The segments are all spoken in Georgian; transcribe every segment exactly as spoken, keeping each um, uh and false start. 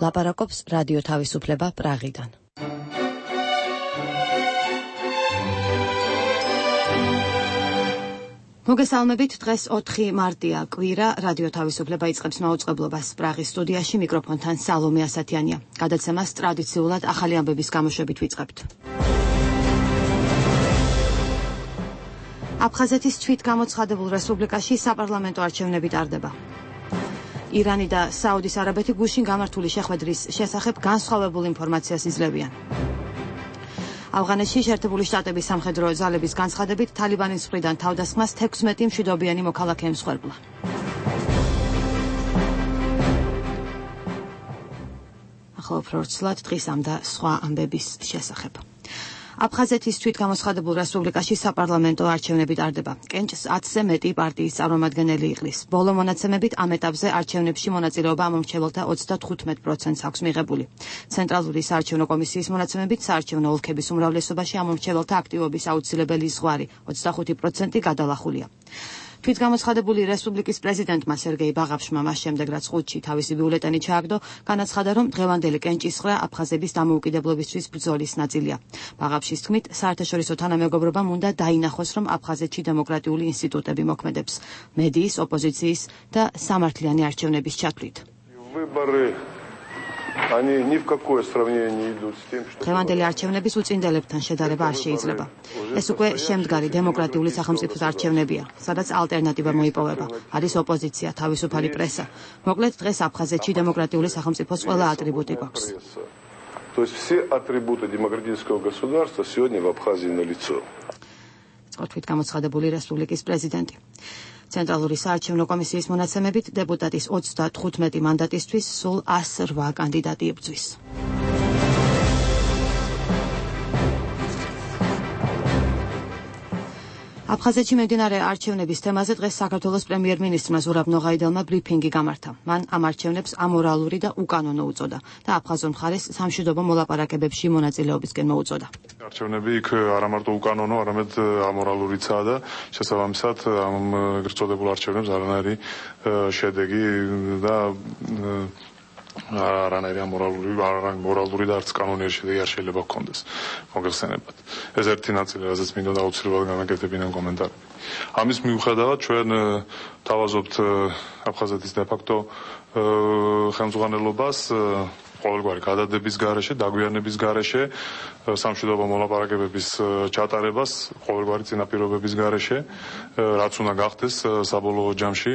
ლაპარაკობს რადიო თავისუფლება პრაღიდან. მოგესალმებით, დღეს ოთხი მარტია, კვირა, რადიო თავისუფლება იწყებს მაუწყებლობას პრაღის სტუდიაში, მიკროფონთან სალომე ასათიანია. გადაცემას ტრადიციულად ახალი ამბების გამოშვებით ვიწყებთ. აფხაზეთის თვითგამოცხადებულ რესპუბლიკაში საპარლამენტო არჩევნები ტარდება. ირანი და საუდის არაბეთი გუშინ გამართული შეხვედრის შესახებ განსხვავებულ ინფორმაციას იძლევიან. ავღანეთში შეერთებული შტატების სამხედრო ძალების განცხადებით თალიბანის მხრიდან თავდასხმას თექვსმეტი მშვიდობიანი მოქალაქე ემსხვერპლა. ახლა უფრო რთულად დღის ამ და სხვა ამბების შესახებ. აფხაზეთის თვითგამოცხადებულ რესპუბლიკაში საპარლამენტო არჩევნები ტარდება. კენჭს ათზე მეტი პარტიის წარმომადგენელი იყლის. ბოლო მონაცემებით ამ ეტაპზე არჩევნებში მონაწილეობა ამომრჩეველთა ოცდათხუთმეტ პროცენტს აქვს მიღებული. ცენტრალური საარჩევნო კომისიის მონაცემებით საარჩევნო ოლქების უმრავლესობაში ამომრჩეველთა აქტივობის აუცილებელი ზღვარი ოცდახუთი პროცენტი გადალახულია. თვითგამოცხადებული რესპუბლიკის პრეზიდენტმა სერგეი ბაღაფშმა მას შემდეგ რაც ხუთში თავისი ბიულეტენი ჩააგდო, განაცხადა, რომ დღევანდელი კენჭისყრა აფხაზების დამოუკიდებლობისთვის ბრძოლის ნაწილია. ბაღაფშის თქმით, საერთაშორისო თანამეგობრობამ უნდა დაინახოს, რომ აფხაზეთში დემოკრატიული ინსტიტუტები მოქმედებს, მედიის, ოპოზიციის და სამართლიანი არჩევნების ჩათვლით. Они ни в какое сравнение не идут с тем, что დღევანდელი არჩევნების უწინდებლებთან შედარება არ შეიძლება. ეს უკვე შემდგარი დემოკრატიული სახელმწიფოს არჩევნებია, სადაც ალტერნატივა მოიპოვება. არის ოპოზიცია, თავისუფალი პრესა. მოკლედ, დღეს აფხაზეთში დემოკრატიული სახელმწიფოს ყველა ატრიბუტი გვაქვს. То есть все атрибуты демократического государства сегодня в Абхазии налицо. თვითგამოცხადებული რესპუბლიკის პრეზიდენტი. ცენტრალური საარჩევნო კომისიის მონაცემებით დეპუტატის ოცდათხუთმეტი მანდატისთვის სულ ასი რვა კანდიდატი იბრძვის. აფხაზეთში მიმდინარე არჩევნების თემაზე დღეს საქართველოს პრემიერ-მინისტრმა ზურაბ ნოღაიდელმა ბრიფინგი გამართა. მან ამ არჩევნებს ამორალური და უკანონო უწოდა და აფხაზურ მხარეს სამშვიდობო მოლაპარაკებებში მონაწილეობისკენ მოუწოდა. არჩევნები იქ არა მარტო უკანონო, არამედ ამორალურიცაა და შესაბამისად ამ გრძოდებულ არჩევნებს არანაირი შედეგი და არანაირი ამორალური, არამორალური და არც კანონიერი შედეგი არ შეიძლება გქონდეს მოგეხსენებათ. ეს ერთი ნაწილი, რაზეც მინდოდა აუცილებლად განაკეთებინა კომენტარები. ამის მიუხედავად ჩვენ თავაზობთ აფხაზეთის დე-ფაქტო ხელმძღვანელობას ყოველგვარი გადადების გარეშე, დაგვიანების გარეშე, სამშვიდობო მოლაპარაკებების ჩატარებას, ყოველგვარი წინაპირობების გარეშე, რაც უნდა გახდეს საბოლოო ჯამში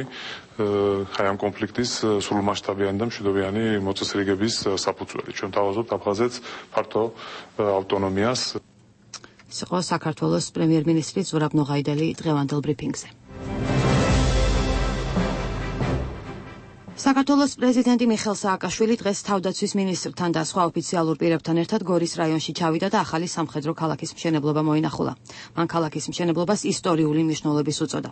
აი ამ კონფლიქტის სრულმასშტაბიანი და მშვიდობიანი მოწესრიგების საფუძველი. ჩვენ თავაზობთ აფხაზეთს ფართო ავტონომიას. ეს იყო საქართველოს პრემიერ-მინისტრი ზურაბ ნოღაიდელი დღევანდელ ბრიფინგზე. საქართველოს პრეზიდენტი მიხეილ სააკაშვილი დღეს თავდაცვის მინისტრთან და სხვა ოფიციალურ პირებთან ერთად გორის რაიონში ჩავიდა და ახალი სამხედრო ქალაქის მშენებლობა მოინახულა. მან ქალაქის მშენებლობას ისტორიული მნიშვნელობის უწოდა.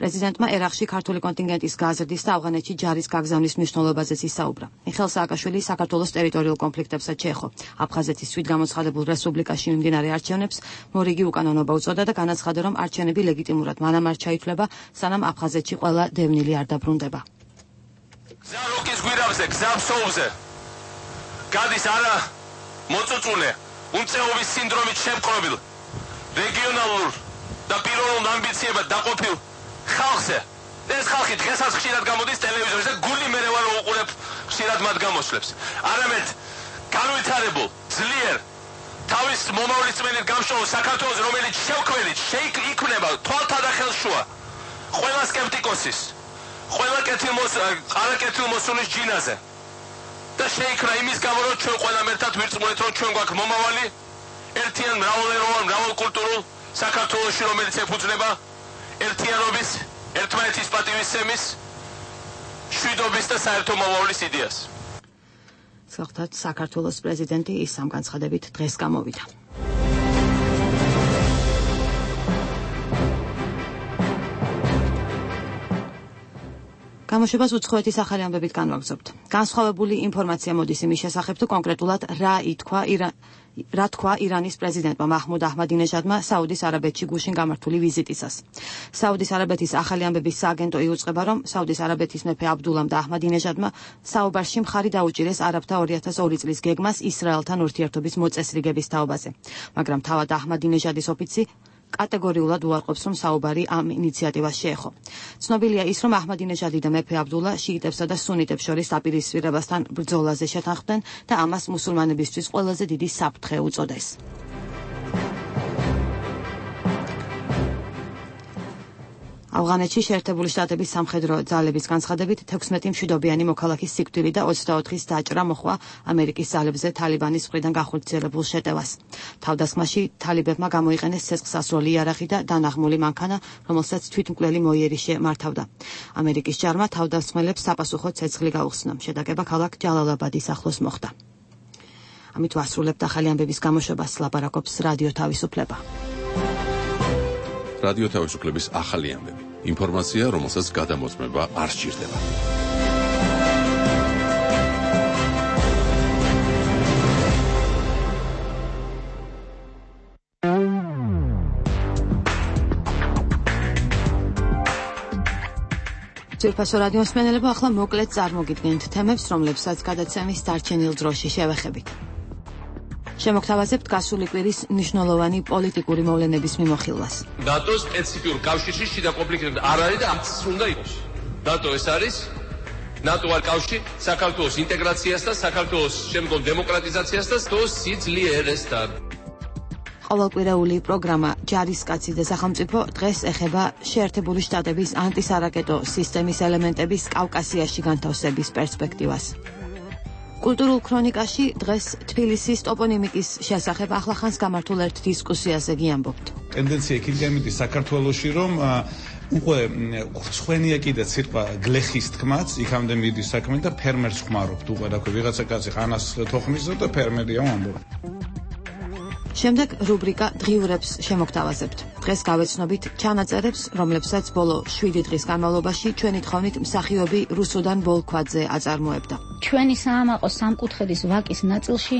პრეზიდენტმა ერაყში ქართული კონტინგენტის გაზრდის და ავღანეთში ჯარის გაგზავნის მნიშვნელობაზეც ისაუბრა. მიხეილ სააკაშვილი საქართველოს ტერიტორიულ კონფლიქტებსაც შეეხო. აფხაზეთის თვითგამოცხადებულ რესპუბლიკაში მიმდინარე არჩევნებს მორიგი უკანონობა უწოდა და განაცხადა, რომ არჩევნები ლეგიტიმურად მანამ არ ჩაითვლება, სანამ აფხაზეთში ყველა დევნილი არ დაბრუნდება. გზა როკის გვირაბზე, გზა ფსოუზე გადის არა მოწუწულე, უმწეობის სინდრომით შემკრობილ, რეგიონალურ და პიროვნულ ამბიციებად დაყოფილ ხალხზე. ეს ხალხი დღესაც ხშირად გამოდის ტელევიზორზე და გული მერე ვარ უყურებ ხშირად მათ გამოსვლებს. არამედ განვითარებულ, ძლიერ, თავის მომავლის წმენით გამშრალ საქართველოს, რომელიც შევქმნით, შეიქმნება თვალთა და ხელშუა ყველა სკეპტიკოსის, ყველა ყარაკეთილმოსულის ჯინაზე და შეიქმნა იმის გამო, რომ ჩვენ ყველამ ერთად ვირწმუნეთ, რომ ჩვენ გვაქვს მომავალი ერთიან მრავალეროვან, მრავალკულტურულ საქართველოში, რომელიც ეფუძნება ერთიანობის, ერთმანეთის პატივისცემის, მშვიდობის და საერთო მომავლის იდეას. სწორედ საქართველოს პრეზიდენტი ის ამ განცხადებით დღეს გამოვიდა. გამოშვებას უცხოეთის ახალი ამბებით განვაგრძობთ. განსხვავებული ინფორმაცია მოდის იმის შესახებ, თუ კონკრეტულად რა ითქვა ირან რა თქვა ირანის პრეზიდენტმა მაჰმუდ აჰმადინეჟადმა საუდის არაბეთში გუშინ გამართული ვიზიტისას. საუდის არაბეთის ახალი ამბების სააგენტო იუწყება, რომ საუდის არაბეთის მეფე აბდულამ და აჰმადინეჟადმა საუბარში მხარი დაუჭირეს არაბთა ორი ათას ორი წლის გეგმას ისრაელთან ურთიერთობის მოწესრიგების თაობაზე, მაგრამ თავად აჰმადინეჟადის ოფიცი კატეგორიულად უარყოფს, რომ საუბარი ამ ინიციატივას შეეხო. ცნობილია ის, რომ აჰმადინეჟადი და მეფე აბდულა შიიტებსა და სუნიტებს შორის დაპირისპირებასთან ბრძოლაზე შეთანხმდნენ და ამას მუსულმანებისთვის ყველაზე დიდი საფრთხე უწოდეს. ავღანეთში შეერთებული შტატების სამხედრო ძალების განცხადებით თექვსმეტი მშვიდობიანი მოქალაქის სიკვდილი და ოცდაოთხის დაჭრა მოხდა ამერიკის ძალებზე თალიბანის მხრიდან განხორციელებულ შეტევას. თავდასხმაში თალიბებმა გამოიყენეს ცეცხლსასროლი იარაღი და დანაღმული მანქანა, რომელსაც თვითმკვლელი მოიერიშე მართავდა. ამერიკის ჯარმა თავდასხმელებს საპასუხო ცეცხლი გაუხსნა. შეტაკება ქალაქ ჯალალაბადის ახლოს მოხდა. ამით ვასრულებთ ახალი ამბების გამოშვებას, ლაპარაკობს რადიო თავისუფლება. რადიო თავისუფლების ახალი ამბები. ინფორმაცია, რომელსაც გადამოწმება არ სჭირდება. ძირფასო რადიო მსმენელებო, ახლა მოკლედ წარმოგიდგენთ თემებს, რომლებსაც გადაცემის დარჩენილ დროში შევეხებით. შემოგთავაზებთ გასული კვირის მნიშვნელოვანი პოლიტიკური მოვლენების მიმოხილვას. ნატოს სპეციფიურ კავშირში შიდა კონფლიქტი არ არის და ამც უნდა იყოს. ნატო ეს არის ნატო არ კავშირი საქართველოს ინტეგრაციას და საქართველოს შემდგომ დემოკრატიზაციას და თოს სიძლიერესთან. ყოველკვირეული პროგრამა ჯარისკაცი და სახელმწიფო დღეს ეხება შეერთებული შტატების ანტისარაკეტო სისტემის ელემენტების კავკასიაში განთავსების პერსპექტივას. კულტურულ ქრონიკაში დღეს თბილისის ტოპონიმიკის შესახებ ახლახანს გამართულ ერთ დისკუსიაზე გიამბობთ. ტენდენცია იქიდან მიდის საქართველოში, რომ უკვე ხრცხვენია კიდე ცირკვა გლეხის თქმაც, იქამდე მიდის საქმე და ფერმერს ხმარობთ უკვე რა ქვია, ვიღაცა კაცი ხანას თოხმისო და ფერმერია ამბობ. შემდეგ რუბრიკა დღიურებს შემოგთავაზებთ. დღეს გავეცნობით ჩანაწერებს, რომლებსაც ბოლო შვიდი დღის განმავლობაში ჩვენი თხოვნით მსახიობი რუსუდან ბოლქვაძე აწარმოებდა. ჩვენი საამაყო სამკუთხედის ვაკის ნაწილში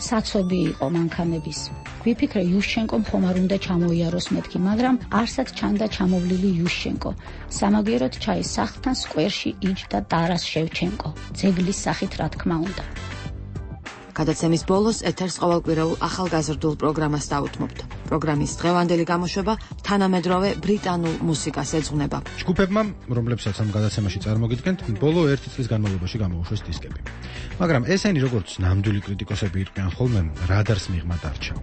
საცობი იყო მანქანების. ვიფიქრე იუშჩენკომ ხომ არ უნდა ჩამოიაროს მეთქი, მაგრამ არსად ჩანდა ჩამოვლილი იუშჩენკო. სამაგიეროდ ჩაის სახლთან სკვერში იჯდა ტარას შევჩენკო. ძეგლის სახით რა თქმა უნდა. გადაცემის ბოლოს ეთერს ყოველკვირეულ ახალგაზრდულ პროგრამას დაუთმობთ. პროგრამის დღევანდელი გამოშვება თანამედროვე ბრიტანულ მუსიკას ეძღვნება. ჯგუფებმა, რომლებსაც ამ გადაცემაში წარმოგიდგენთ, ბოლო ერთი წლის განმავლობაში გამოუშვეს დისკები. მაგრამ ესენი როგორც ნამდვილი კრიტიკოსები იყვნენ ხოლმე, რადარს მიღმა დარჩა.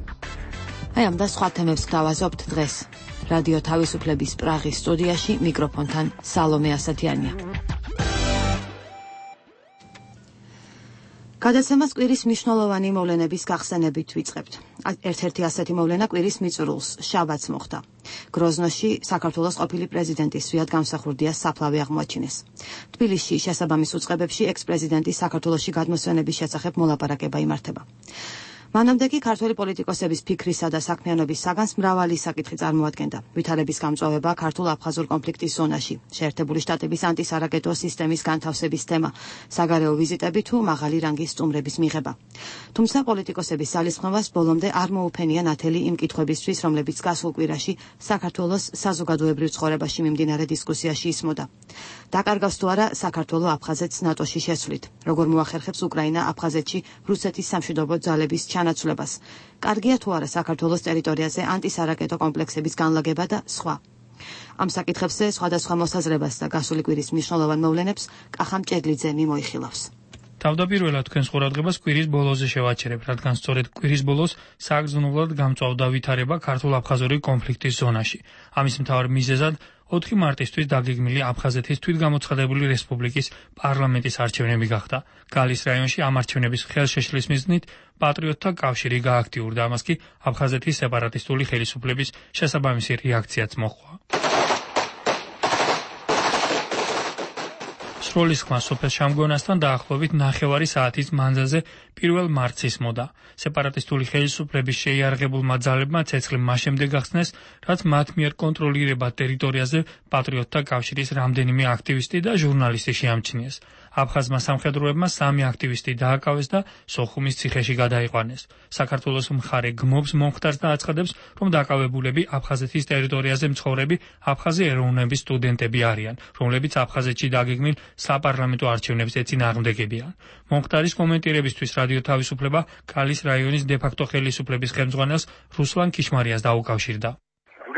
აი ამ და სხვა თემებს გავაზობთ დღეს. რადიო თავისუფლების პრაღის სტუდიაში მიკროფონთან სალომე ასათიანია. გადაცემას კვირის მნიშვნელოვანი მოვლენების გახსენებით ვიწყებთ. ერთ-ერთი ასეთი მოვლენა კვირის მიწურულს, შაბათს მოხდა. გროზნოში საქართველოს ყოფილი პრეზიდენტის სვიად გამსახურდია საფლავი აღმოაჩინეს. თბილისში შესაბამის უწყებებში ექს-პრეზიდენტის საქართველოში გადმოსვენების შესახებ მოლაპარაკება იმართება. მანამდე კი ქართველი პოლიტიკოსების ფიქრისა და საქმიანობის საგანს მრავალი საკითხი წარმოადგენდა. ვითარების გამწვავება ქართულ-აფხაზურ კონფლიქტის ზონაში, შეერთებული შტატების ანტისარაკეტო სისტემის განთავსების თემა, საგარეო ვიზიტები თუ მაღალი რანგის სტუმრების მიღება. თუმცა პოლიტიკოსების ძალისხმევას ბოლომდე არ მოუფენია ნათელი იმ კითხვებისთვის, რომლებიც გასულ კვირაში საქართველოს საზოგადოებრივ ცხოვრებაში მიმდინარე დისკუსიაში ისმოდა. დაკარგავს თუ არა საქართველო აფხაზეთს ნატოში შესვლით, როგორ მოახერხებს უკრაინა აფხაზეთში რუსეთის სამშვიდობო ძალების ჩანაცვლებას. კარგია თუ არა საქართველოს ტერიტორიაზე ანტისარაკეტო კომპლექსების განლაგება და სხვა. ამ საკითხებზე სხვადასხვა მოსაზრებას და გასული კვირის მნიშვნელოვან მოვლენებს კახამ ჭედლიძე მიმოიხილავს. თავდაპირველად თქვენს ყურადღებას კვირის ბოლოზე შევაჩერებ, რადგან სწორედ კვირის ბოლოს საგრძნობლად გამწვავდა ვითარება ქართულ-აფხაზური კონფლიქტის ზონაში. ამის მთავარ მიზეზად ოთხი მარტისთვის დაგეგმილი აფხაზეთის თვითგამოცხადებული რესპუბლიკის პარლამენტის არჩევნები გახდა. გალის რაიონში ამ არჩევნების ხელშეშლის მიზნით პატრიოტთა კავშირი გააქტიურდა, ამას კი აფხაზეთის სეპარატისტული ხელისუფლების შესაბამისი რეაქციაც მოჰყვა. სროლის ხმა სოფელ შამგონასთან დაახლოებით ნახევარი საათის მანძილზე პირველ მარტს ისმოდა. სეპარატისტული ხელისუფლების შეიარაღებულმა ძალებმა ცეცხლი მას შემდეგ გახსნეს, რაც მათ მიერ კონტროლირებად ტერიტორიაზე პატრიოტთა კავშირის რამდენიმე აქტივისტი და ჟურნალისტი შეამჩნიეს. აფხაზმა სამხედროებმა სამი აქტივისტი დააკავეს და სოხუმის ციხეში გადაიყვანეს. საქართველოს მხარე გმობს მომხდარს და აცხადებს, რომ დაკავებულები აფხაზეთის ტერიტორიაზე მცხოვრები აფხაზი ეროვნების სტუდენტები არიან, რომლებიც აფხაზეთში დაგეგმილ საპარლამენტო არჩევნებზე წინააღმდეგებიან. მომხდარის კომენტირებისთვის რადიო თავისუფლება კალის რაიონის დე-ფაქტო ხელისუფლების ხელმძღვანელს რუსლან ქიშმარიას დაუკავშირდა.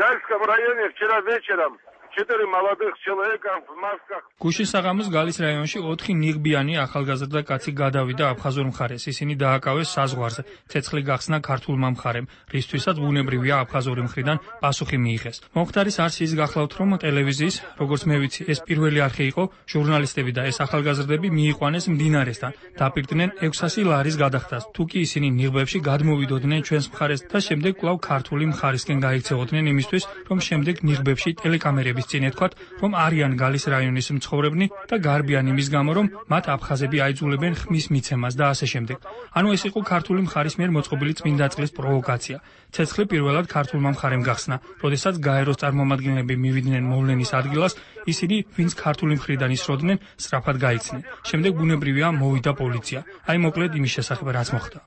Гальском районе вчера вечером четыре молодых человека в масках. გუშინ საღამოს გალის რაიონში ოთხი ნიღბიანი ახალგაზრდა კაცი გადავიდა აფხაზურ მხარეს. ისინი დააკავეს საზღვარზე. ცეცხლი გახსნა ქართულმა მხარემ, რისთვისაც ბუნებრივია აფხაზური მხრიდან პასუხი მიიღეს. მომხდარის არს ის გახლავთ, რომ ტელევიზიის, როგორც მე ვიცი, ეს პირველი არხი იყო, ჟურნალისტები და ეს ახალგაზრდები მიიყვანეს მდინარესთან, დაპირდნენ ექვსასი ლარის გადახდას. თუ კი ისინი ნიღბებში გადმოვიდოდნენ ჩვენს მხარეს და შემდეგ კვლავ ქართული მხარისკენ გაიქცეოდნენ იმისთვის, რომ შემდეგ ნიღბებში ტელეკამერების წინ ეთქვათ, რომ არიან გალის რაიონის მცხოვრებნი და გარბიან იმის გამო, რომ მათ აფხაზები აიძულებენ ხმის მიცემას და ასე შემდეგ. ანუ ეს იყო ქართული მხარის მიერ მოწყობილი წმინდა წყლის პროვოკაცია. ცეცხლი პირველად ქართულმა მხარემ გახსნა, როდესაც გაეროს წარმომადგენლები მივიდნენ მოვლენის ადგილას, ისინი, ვინც ქართული მხრიდან ისროდნენ, სწრაფად გაიქცნენ. შემდეგ ბუნებრივია მოვიდა პოლიცია. აი მოკლედ იმის შესახებ რაც მოხდა.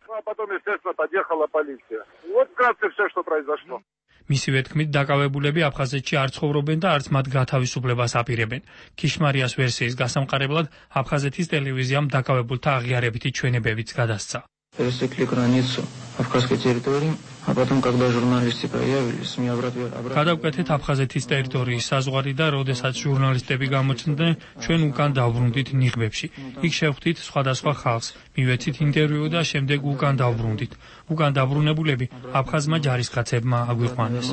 მისივე თქმით, დაკავებულები აფხაზეთში არ ცხოვრობენ და არც მათ გათავისუფლებას აპირებენ. ქიშმარიას ვერსიის გასამყარებლად აფხაზეთის ტელევიზიამ დაკავებულთა აღიარებითი ჩვენებებიც გადასცა. Пересекли границу Абхазской территории, а потом, когда журналисты появились, мне обратили... გადავკვეთეთ აფხაზეთის ტერიტორიის საზღვარი და როდესაც ჟურნალისტები გამოჩნდნენ, ჩვენ უკან დავბრუნდით ნიღბებში. იქ შევხვდით სხვადასხვა ხალხს, მივეცით ინტერვიუ და შემდეგ უკან დავბრუნდით. უკან დაბრუნებულები აფხაზმა ჯარისკაცებმა აგვიყვანეს.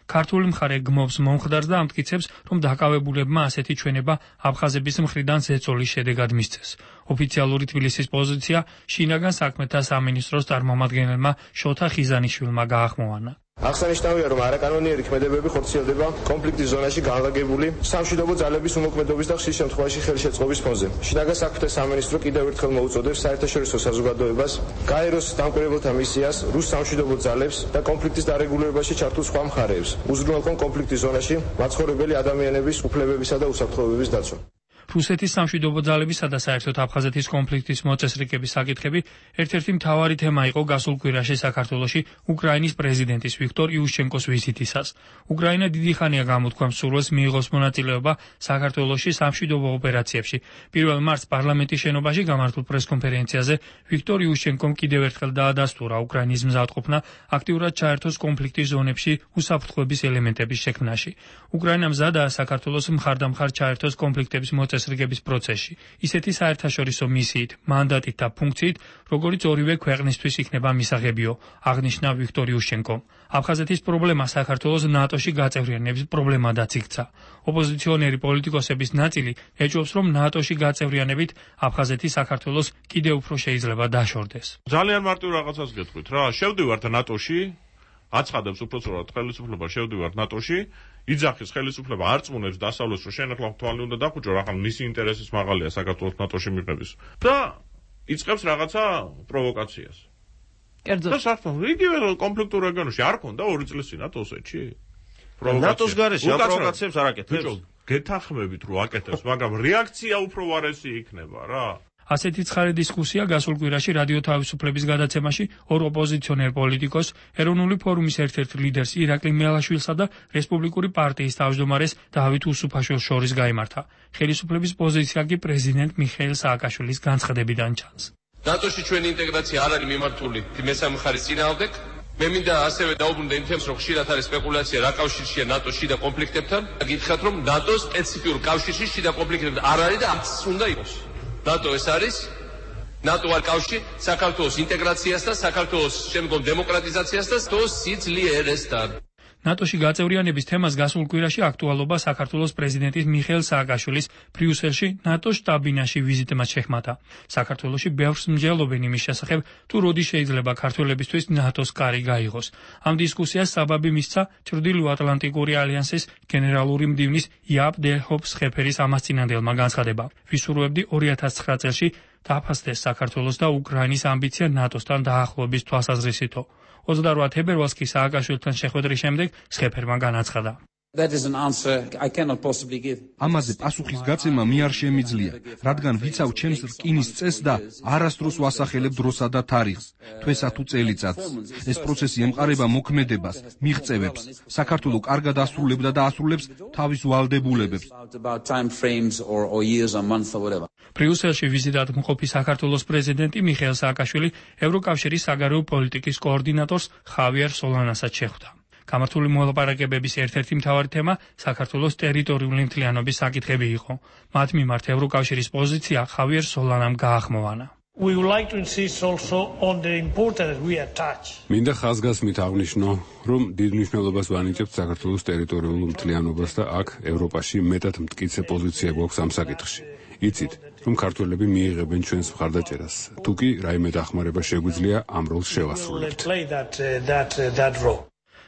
ქართული მხარე გმობს მომხდარს და ამტკიცებს, რომ დაკავებულებმა ასეთი ჩვენება აფხაზების მხრიდან ზეწოლის შედეგად მისცეს. ოფიციალური თბილისის პოზიცია შინაგან საქმეთა სამინისტროს წარმომადგენელმა შოთა ხიზანიშვილმა გაახმოვანა. აღსანიშნავია, რომ არაკანონიერი ქმედებები ხორციელდება კონფლიქტის ზონაში განლაგებული სამშვიდობო ძალების უმოქმედობის და ხშირ შემთხვევაში ხელშეწყობის ფონზე. შინაგან საქმეთა სამინისტრო კიდევ ერთხელ მოუწოდებს საერთაშორისო საზოგადოებას, გაეროს დამკვირვებელთა მისიას, რუს სამშვიდობო ძალებს და კონფლიქტის დარეგულირებაში ჩართულ სხვა მხარეებს, უზრუნველყონ კონფლიქტის ზონაში მაცხოვრებელი ადამიანების უფლებებისა და უსაფრთხოებების დაცვა. რუსეთის სამშვიდობო ძალებისა და საერთოდ აფხაზეთის კონფლიქტის მოწესრიგების საკითხები ერთ-ერთი მთავარი თემა იყო გასულ კვირაში საქართველოში უკრაინის პრეზიდენტის ვიქტორ იუშჩენკოს ვიზიტისას. უკრაინა დიდი ხანია გამოთქვამს სურვილს მიიღოს მონაწილეობა საქართველოში სამშვიდობო ოპერაციებში. პირველ მარტს პარლამენტის შენობაში გამართულ პრესკონფერენციაზე ვიქტორ იუშჩენკომ კიდევ ერთხელ დაადასტურა უკრაინის მზადყოფნა აქტიურად ჩაერთოს კონფლიქტის ზონებში უსაფრთხოების ელემენტების შექმნაში. უკრაინა მზადაა საქართველოს მხარდამხარ ჩაერთოს კონფლიქტების წესრიგების პროცესში, ისეთი საერთაშორისო მისიით, მანდატით და ფუნქციით, როგორც ორივე ქვეყნისთვის იქნება მისაღებიო, აღნიშნა ვიქტორ იუშჩენკომ. აფხაზეთის პრობლემა საქართველოს ნატოში გაწევრიანების პრობლემადაც იქცა. ოპოზიციონერი პოლიტიკოსების ნაწილი ეჭვობს, რომ ნატოში გაწევრიანებით აფხაზეთი საქართველოს კიდევ უფრო შეიძლება დაშორდეს. ძალიან მარტივ რაღაცას გეტყვით რა, შევდივართ ნატოში, აცხადებს უпроцент ხელისუფლება შევდივართ ნატოში, იძახის ხელისუფლება არწმუნებს დასავლეთს, რომ შენ ახლა თვალი უნდა დახუჭო, რა ხომ მისი ინტერესის მაღალია საქართველოს ნატოში მიღების და იწყებს რაღაცა პროვოკაციას. კერძოდ და საერთოდ იგივე კონფლიქტურ რეგიონში არ ქონდა ორი წლის წინ ატოსეთში? ნატოს გარეშე პროვოკაციებს არ აკეთებს. გეთანხმებით რომ აკეთებს, მაგრამ რეაქცია უფრო ვარესი იქნება რა. ასეთი ცხარე დისკუსია გასულ კვირაში რადიო თავისუფლების გადაცემაში ორ ოპოზიციონერ პოლიტიკოს, ეროვნული ფორუმის ერთ-ერთ ლიდერს ირაკლი მელაშვილსა და რესპუბლიკური პარტიის თავმჯდომარეს დავით უსუფაშვილს შორის გაიმართა. ხელისუფლების პოზიცია კი პრეზიდენტ მიხეილ სააკაშვილის განცხადებიდან ჩანს. ნატოში ჩვენი ინტეგრაცია არ არის მიმართული მესამე მხარის წინააღმდეგ. მე მინდა ასევე დაუბრუნდე იმ თემს, რომ ხშირად არის სპეკულაცია რა კავშირშია ნატოს შიდა კონფლიქტებთან. გითხრათ, რომ ნატოს სპეციფიურ კავშირში შიდა კონფლიქტებთან არ არის და არც უნდა იყოს. ნატო ეს არის, ნატო არ კავშირი საქართველოს ინტეგრაციას და საქართველოს შემდგომ დემოკრატიზაციას და სიცლიერესთან. ნატოში გაწევრიანების თემას გასულ კვირაში აქტუალობა საქართველოს პრეზიდენტის მიხეილ სააკაშვილის ბრიუსელში ნატოს შტაბ-ბინაში ვიზიტმაც შეჰმატა. საქართველოში ბევრს მსჯელობენ იმის შესახებ, თუ როდი შეიძლება ქართველებისთვის ნატოს კარი გაიღოს. ამ დისკუსიას საბაბი მისცა ჩრდილოატლანტიკური ალიანსის გენერალური მდივნის იაპ დე ჰოპ სხეფერის ამასწინებელმა განცხადება. ვისურვებდი ორი ათას ცხრა წელში დააფასდეს საქართველოს და უკრაინის ამბიცია ნატოსთან დაახლოების თვალსაზრისითო. ოცდაოთხ თებერვალს კი სააკაშვილთან შეხვედრის შემდეგ სხეფერმა განაცხადა. ამაზე პასუხის გაცემა მე არ შემიძლია, რადგან ვიცავ ჩემს რკინის წესს და არასდროს ვასახელებ დროსა და თარიღს, თვესა თუ წელიწადს. ეს პროცესი ემყარება მოქმედებას, მიღწევებს. საქართველო კარგად ასრულებდა და ასრულებს თავის ვალდებულებებს. ბრიუსელში ვიზიტად მყოფი საქართველოს პრეზიდენტი მიხეილ სააკაშვილი ევროკავშირის საგარეო პოლიტიკის კოორდინატორს ხავიერ სოლანასაც შეხვდა. გამართული მოლაპარაკებების ერთ-ერთი მთავარი თემა საქართველოს ტერიტორიული მთლიანობის საკითხები იყო. მათ მიმართ ევროკავშირის პოზიცია ხავიერ სოლანამ გაახმოვანა. მინდა ხაზგასმით აღვნიშნო, რომ დიდ მნიშვნელობას ვანიჭებთ საქართველოს ტერიტორიულ მთლიანობას და აქ ევროპაში მეტად მტკიცე პოზიცია გვაქვს ამ საკითხში. იცით, რომ ქართველები მიიღებენ ჩვენს მხარდაჭერას. თუ კი რაიმე დახმარება შეგვიძლია ამ როლს შევასრულებთ.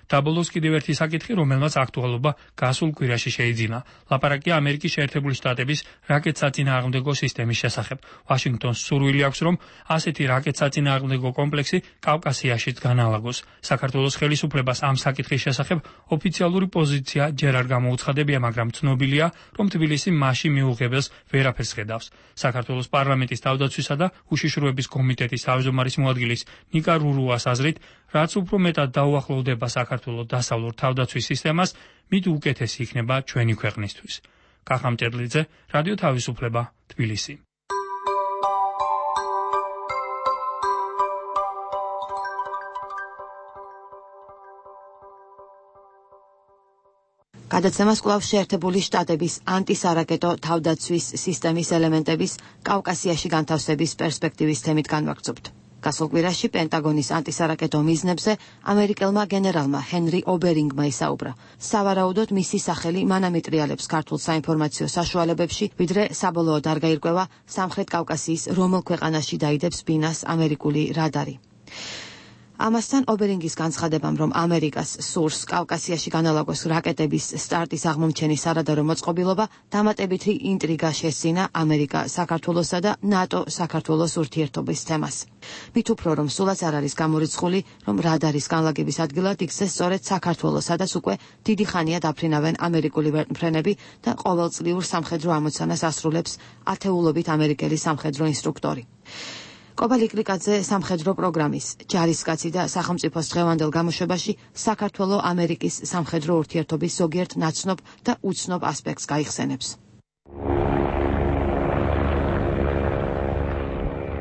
დაბოლოს კიდევ ერთი საკითხი, რომელმაც აქტუალობა გასულ კვირაში შეიძინა. ლაპარაკია ამერიკის შეერთებული შტატების რაკეტსაწინააღმდეგო სისტემის შესახებ. ვაშინგტონს სურვილი აქვს, რომ ასეთი რაკეტსაწინააღმდეგო კომპლექსი კავკასიაშიც განალაგოს. საქართველოს ხელისუფლებას ამ საკითხის შესახებ ოფიციალური პოზიცია ჯერ არ გამოუცხადებია, მაგრამ ცნობილია, რომ თბილისი მასში მიუღებელს ვერაფერს ხედავს. საქართველოს პარლამენტის თავდაცვისა და უშიშროების კომიტეტის თავმჯდომარის მოადგილის ნიკა რურუას აზრით, რაც უფრო მეტად დაუახლოვდება საქართველოს დასავლურ თავდაცვის სისტემას, მით უკეთესი იქნება ჩვენი ქვეყნისთვის. კახა მჭედლიძე, რადიო თავისუფლება, თბილისი. გადაცემას კვლავ შეერთებული შტატების ანტისარაკეტო თავდაცვის სისტემის ელემენტების კავკასიაში განთავსების პერსპექტივის თემით განვაგრძობთ. გასულ კვირაში პენტაგონის ანტისარაკეტო მიზნებზე ამერიკელმა გენერალმა ჰენრი ობერინგმა ისაუბრა. სავარაუდოდ მისი სახელი მანამ იტრიალებს ქართულ საინფორმაციო საშუალებებში, ვიდრე საბოლოოდ არ გაირკვევა სამხრეთ კავკასიის რომელ ქვეყანაში დაიდებს ბინას ამერიკული რადარი. ამასთან ობერინგის განცხადებამ, რომ ამერიკას სურს კავკასიაში განალაგოს რაკეტების სტარტის აღმომჩენის არადარო მოწყობილობა, დამატებითი ინტრიგა შესძინა ამერიკა საქართველოსა და ნატო საქართველოს ურთიერთობის თემას. მით უფრო რომ სულაც არ არის გამორიცხული, რომ რადარის განლაგების ადგილად იქცე სწორედ საქართველოს, სადაც უკვე დიდი ხანია დაფრინავენ ამერიკული ვერტმფრენები და ყოველწლიურ სამხედრო ამოცანას ასრულებს ათეულობით ამერიკელი სამხედრო ინსტრუქტორი. კობალ იკლიკაძე სამხედრო პროგრამის, ჯარისკაცი და სახელმწიფოს დღევანდელ გამოშვებაში საქართველო ამერიკის სამხედრო ურთიერთობის ზოგიერთ ნაცნობ და უცნობ ასპექტს გაიხსენებს.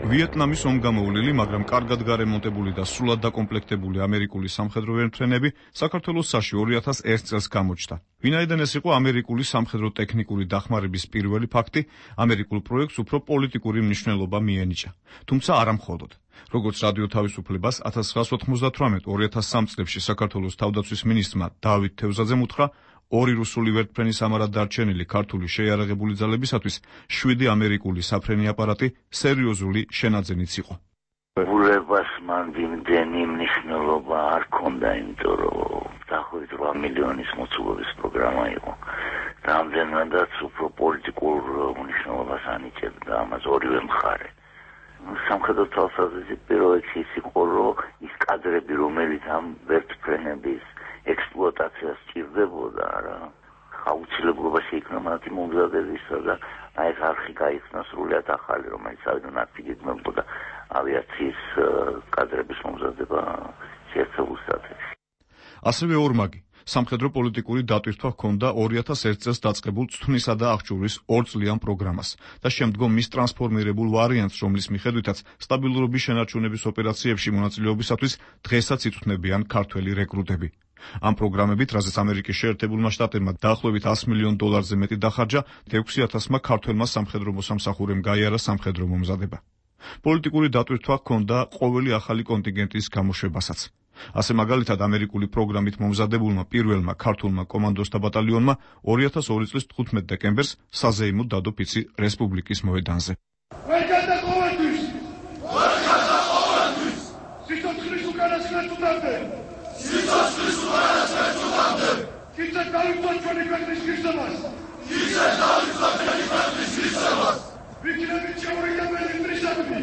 ვიეტნამის ომგამოვლილი, მაგრამ კარგად გარემონტებული და სრულად დაკომპლექტებული ამერიკული სამხედრო ვერტმფრენები საქართველოს საში ორი ათას ერთ წელს გამოჩნდა. ვინაიდან ეს იყო ამერიკული სამხედრო ტექნიკური დახმარების პირველი ფაქტი, ამერიკულ პროექტს უფრო პოლიტიკური მნიშვნელობა მიენიჭა. თუმცა არა მხოლოდ. როგორც რადიო თავისუფლებას ათას ცხრაასი ოთხმოცდათვრამეტ ორი ათას სამი წლებში საქართველოს თავდაცვის მინისტრმა დავით თევზაძემ უთხრა, ორი რუსული ვერტმფრენის ამარად დარჩენილი ქართული შეიარაღებული ძალებისათვის შვიდი ამერიკული საფრენი აპარატი სერიოზული შენაძენიც იყო. ურებას მან იმდენი მნიშვნელობა არ ჰქონდა, იმიტომ რომ დაახლოებით რვა მილიონის მოცულობის პროგრამა იყო. და ამდენადაც უფრო პოლიტიკურ მნიშვნელობას ანიჭებდა ამას ორივე მხარე. სამხედრო თვალსაზრისით პირველი ის იყო, რომ ის კადრები, რომელიც ამ ვერტმფრენების ექსპლუატაციას სჭირდებოდა, რა აუცილებლობა შეიქმნა მათი მომზადებისა და აი ეს არხი გაიხსნა სრულიად ახალი, რომელიც ავიდან აფიგებდა ავიაციის კადრების მომზადება შეერთებულ შტატებში. ასევე ორმაგი სამხედრო პოლიტიკური დატვირთვა ჰქონდა ორი ათას ერთ წელს დაწყებულ წვნისა და აღჭურვის ორწლიან პროგრამას და შემდგომ მის ტრანსფორმირებულ ვარიანტს, რომლის მიხედვითაც სტაბილურობის შენარჩუნების ოპერაციებში მონაწილეობისათვის დღესაც იწვნებიან ქართველი რეკრუტები. ამ პროგრამებით, რაზეც ამერიკის შეერთებულმა შტატებმა დაახლოებით ას მილიონ დოლარზე მეტი დახარჯა, ექვსი ათასმა ქართველმა სამხედრო მოსამსახურემ გაიარა სამხედრო მომზადება. პოლიტიკური დატვირთვა ჰქონდა ყოველი ახალი კონტინგენტის გამოშვებასაც. ასე მაგალითად ამერიკული პროგრამით მომზადებულმა პირველმა ქართულმა კომანდოსთა ბატალიონმა ორი ათას ორი წლის თხუთმეტ დეკემბერს საზეიმოდ დადო ფიცი რესპუბლიკის მოედანზე. ვერგადა ყოველთვის! ვერგადა ყოველთვის! სიცოცხლის უკანასკნელ წუთამდე! სიცოცხლის უკანასკნელ წუთამდე! კიცეთ დავიწყოთ ჩვენი ქვეყნის ღირსებას! კიცეთ დავიწყოთ ჩვენი ქვეყნის ღირსებას! ვიქნებით შეურიგებელი მტრისადმი!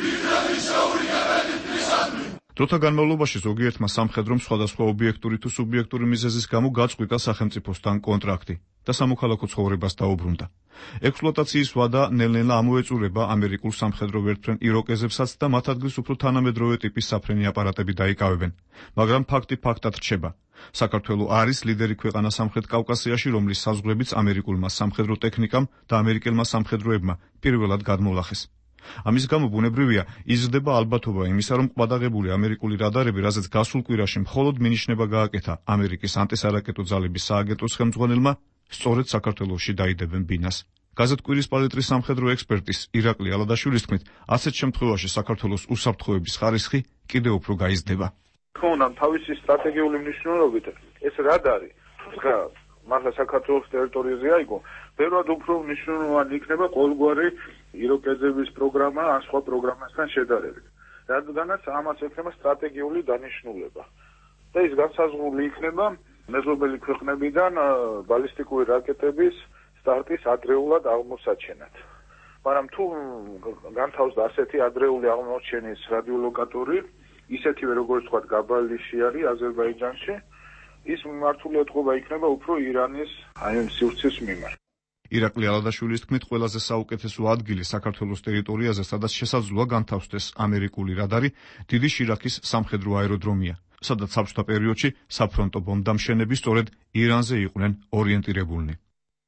ვიქნებით შეურიგებელი მტრისადმი! დროთა განმავლობაში ზოგიერთმა სამხედრომ სხვადასხვა ობიექტური თუ სუბიექტური მიზეზის გამო გაწყვიტა სახელმწიფოსთან კონტრაქტი და სამოქალაქო ცხოვრებას დაუბრუნდა. ექსპლუატაციის ვადა ნელ-ნელა ამოეწურება ამერიკულ სამხედრო ვერტმფრენ იროკეზებსაც და მათ ადგილს უფრო თანამედროვე ტიპის საფრენი აპარატები დაიკავებენ. მაგრამ ფაქტი ფაქტად რჩება. საქართველო არის ლიდერი ქვეყანა სამხრეთ კავკასიაში, რომლის საზღვრებიც ამერიკულმა სამხედრო ტექნიკამ და ამერიკელმა სამხედროებმა პირველად გადმოვლახეს. ამის გამო ბუნებრივია იზრდება ალბათობა იმისა, რომ ყვადაღებული ამერიკული რადარები, რაზეც გასულ კვირაში მხოლოდ მინიშნება გააკეთა ამერიკის ანტისარაკეტო ძალების სააგენტოს ხელმძღვანელმა, სწორედ საქართველოში დაიდებენ ბინას. გაზეთ კვირის პალიტრის სამხედრო ექსპერტის ირაკლი ალადაშვილის თქმით, ასეთ შემთხვევაში საქართველოს უსაფრთხოების ხარისხი კიდევ უფრო გაიზრდება. თქონდა თავისი სტრატეგიული მნიშვნელობით ეს რადარი თუმცა მართლა საქართველოს ტერიტორიაზე აიგო, ბევრად უფრო მნიშვნელოვანი იქნება ყოველგვარი იროკეზების პროგრამა ან სხვა პროგრამასთან შედარებით. რადგანაც ამას ექნება სტრატეგიული დანიშნულება. და ის განსაზღვრული იქნება მეზობელი ქვეყნებიდან ბალისტიკური რაკეტების სტარტის ადრეულად აღმოსაჩენად. მაგრამ თუ განთავსდა ასეთი ადრეული აღმოჩენის რადიოლოკატორი, ისეთივე როგორც თქვა გაბალიში არის აზერბაიჯანში, ის მართული ეთყობა იქნება უფრო ირანის აი სივრცის მიმართ. ირაკლი ალადაშვილის თქმით, ყველაზე საუკეთესო ადგილი საქართველოს ტერიტორიაზე, სადაც შესაძლოა განთავსდეს ამერიკული რადარი, დიდი შირაქის სამხედრო აეროდრომია, სადაც საბჭოთა პერიოდში საფრონტო ბომბდამშენები სწორედ ირანზე იყვნენ ორიენტირებულნი.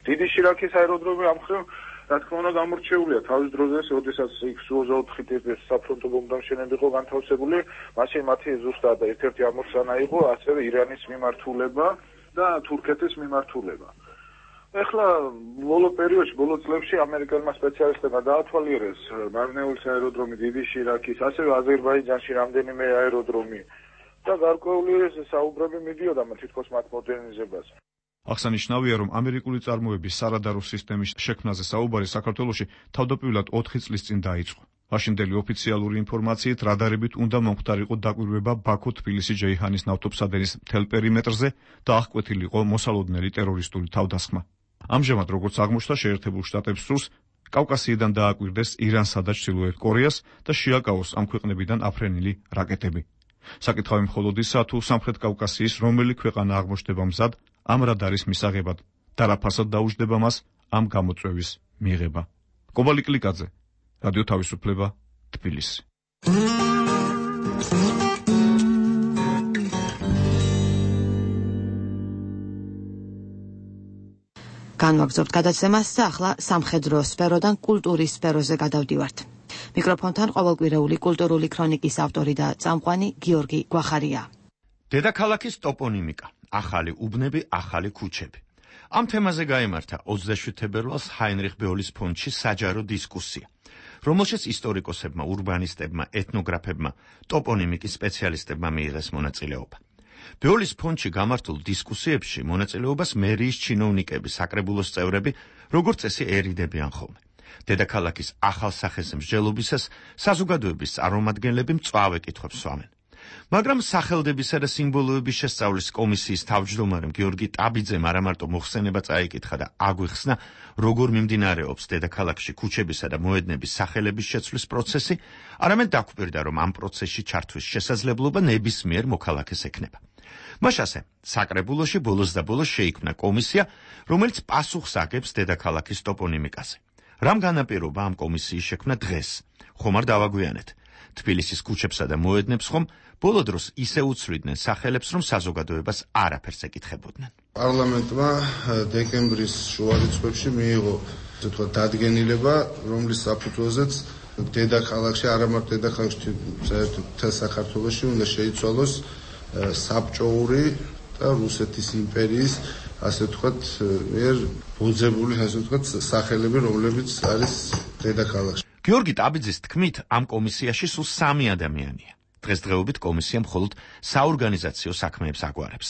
დიდი შირაქის აეროდრომი ამ მხრივ რა თქმა უნდა გამორჩეულია თავის დროზე, როდესაც იქ სუ ოცდაოთხი ტიპის საფრონტო ბომბდამშენები იყო განთავსებული, მაშინ მათი ზუსტად ერთ-ერთი ამოცანა იყო ასევე ირანის მიმართულება და თურქეთის მიმართულება. ეხლა ბოლო პერიოდში, ბოლო წლებში ამერიკელმა სპეციალისტებმა დაათვალიერეს მარნეულის აეროდრომი, დიდი შირაქის, ასევე აზერბაიჯანში რამდენიმე აეროდრომი და გარკვეული საუბრები მიდიოდა თითქოს მათ მოდერნიზებაზე. აღსანიშნავია, რომ ამერიკული წარმოების სარადარო სისტემის შექმნაზე საუბარი საქართველოში თავდაპირველად ოთხი წლის წინ დაიწყო. მაშინდელი ოფიციალური ინფორმაციით რადარებით უნდა მომხდარიყო დაკვირვება ბაქო-თბილისი-ჯეიჰანის ნავთობსადენის მთელ პერიმეტრზე და აღკვეთილიყო მოსალოდნელი ტერორისტული თავდასხმა. ამჟამად, როგორც აღმოჩნდა, შეერთებულ შტატებს სურს კავკასიიდან დააკვირდეს ირანსა და ჩრდილოეთ კორეას და შეაკავოს ამ ქვეყნებიდან აფრენილი რაკეტები. საკითხავი მხოლოდ ისაა, თუ სამხრეთ კავკასიის რომელი ქვეყანა აღმოჩნდება მზად ამ რადარის მისაღებად და რა ფასად დაუჯდება მას ამ გამოწვევის მიღება. კობალი კლიკაძე, რადიო თავისუფლება, თბილისი. განვაგრძობთ გადაცემას და ახლა სამხედრო სფეროდან კულტურის სფეროზე გადავდივართ. მიკროფონთან ყოველკვირეული კულტურული ქრონიკის ავტორი და წამყვანი გიორგი გვახარია. დედაქალაქის ტოპონიმიკა, ახალი უბნები, ახალი ქუჩები. ამ თემაზე გაიმართა ოცდაშვიდ თებერვალს ჰაინრიხ ბეოლის ფონდში საჯარო დისკუსია, რომელშიც ისტორიკოსებმა, ურბანისტებმა, ეთნოგრაფებმა, ტოპონიმიკის სპეციალისტებმა მიიღეს მონაწილეობა. ბეოლის ფონდში გამართულ დისკუსიებში მონაწილეობას მერიის ჩინოვნიკები, საკრებულოს წევრები, როგორც წესი ერიდებიან ხოლმე. დედაქალაქის ახალ სახეს მსჯელობისას საზოგადოების წარმომადგენლები მწვავე კითხვებს სვამენ. მაგრამ სახელდებისა და სიმბოლოების შესწავლის კომისიის თავმჯდომარემ გიორგი ტაბიძემ არა მარტო მოხსენება წაიკითხა და აგვიხსნა, როგორ მიმდინარეობს დედაქალაქში ქუჩებისა და მოედნების სახელების შეცვლის პროცესი, არამედ დაგვკვირდა, რომ ამ პროცესში ჩართვის შესაძლებლობა ნებისმიერ მოქალაქეს ექნება. მას ასე, საკრებულოში ბოლოს და ბოლოს შეიქმნა კომისია, რომელიც პასუხს აგებს დედაქალაქის ტოპონიმიკაზე. რამ განაპირობა ამ კომისიის შექმნა დღეს? ხომ არ დავაგვიანეთ? თბილისის ქუჩებსა და მოედნებს ხომ ბოლო დროს ისე უცვლიდნენ სახელებს, რომ საზოგადოებას არაფერს ეკითხებოდნენ. პარლამენტმა დეკემბრის შუა რიცხვებში მიიღო, ასე ვთქვათ, დადგენილება, რომლის საფუძველზეც დედაქალაქში, არა მარტო დედაქალაქში, საერთოდ მთელ საქართველოში უნდა შეიცვალოს საბჭოური და რუსეთის იმპერიის, ასე ვთქვათ, მიერ ბოძებული, ასე ვთქვათ, სახელები, რომლებიც არის დედაქალაქში. გიორგი ტაბიძის თქმით, ამ კომისიაში სულ სამი ადამიანია. დღესდღეობით კომისია მხოლოდ საორგანიზაციო საქმეებს აგვარებს.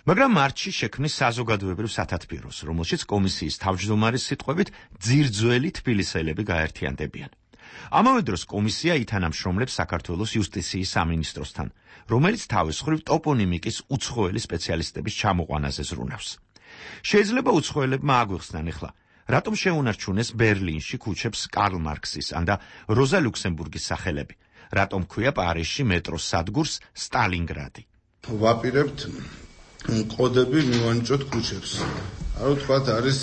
მაგრამ მარტში შექმნის საზოგადოებრივ სათათბიროს, რომელშიც კომისიის თავმჯდომარის სიტყვებით ძირძველი თბილისელები გაერთიანდებიან. ამავე დროს კომისია ითანამშრომლებს საქართველოს იუსტიციის სამინისტროსთან, რომელიც თავის მხრივ ტოპონიმიკის უცხოელი სპეციალისტების ჩამოყვანაზე ზრუნავს. შეიძლება უცხოელებმა აგვიხსნან ახლა, რატომ შეუნარჩუნეს ბერლინში ქუჩებს კარლ მარქსის ან და როზა ლუქსემბურგის სახელები, რატომ ქვია პარიზში მეტროს სადგურს სტალინგრადი. ვაპირებთ კოდები მივანიჭოთ ქუჩებს. ანუ თქვათ არის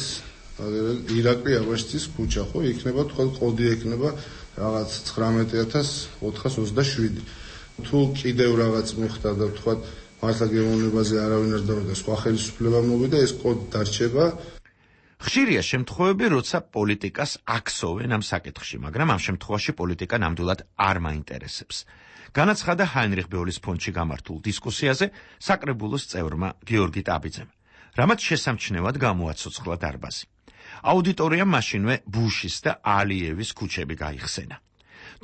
ირაკლი აბაშიძის ქუჩა, ხო? იქნება თქვათ კოდი ექნება რაღაც ცხრამეტი ათას ოთხას ოცდაშვიდი. თუ კიდევ რაღაც მოხდა და თქვათ მართლა გემოვნებაზე არავინ არ დავიდა, სხვა ხელისუფლება მოვიდა, ეს კოდი დარჩება. ხშირია შემთხვევები, როცა პოლიტიკას აქსოვენ ამ საკითხში, მაგრამ ამ შემთხვევაში პოლიტიკა ნამდვილად არ მაინტერესებს. განაცხადა ჰაინრიხ ბეოლის ფონდში გამართულ დისკუსიაზე საკრებულოს წევრმა გიორგი ტაბიძემ, რამაც შესამჩნევად გამოაცოცხლა დარბაზი. აუდიტორიამ მაშინვე ბუშის და ალიევის ქუჩები გაიხსენა.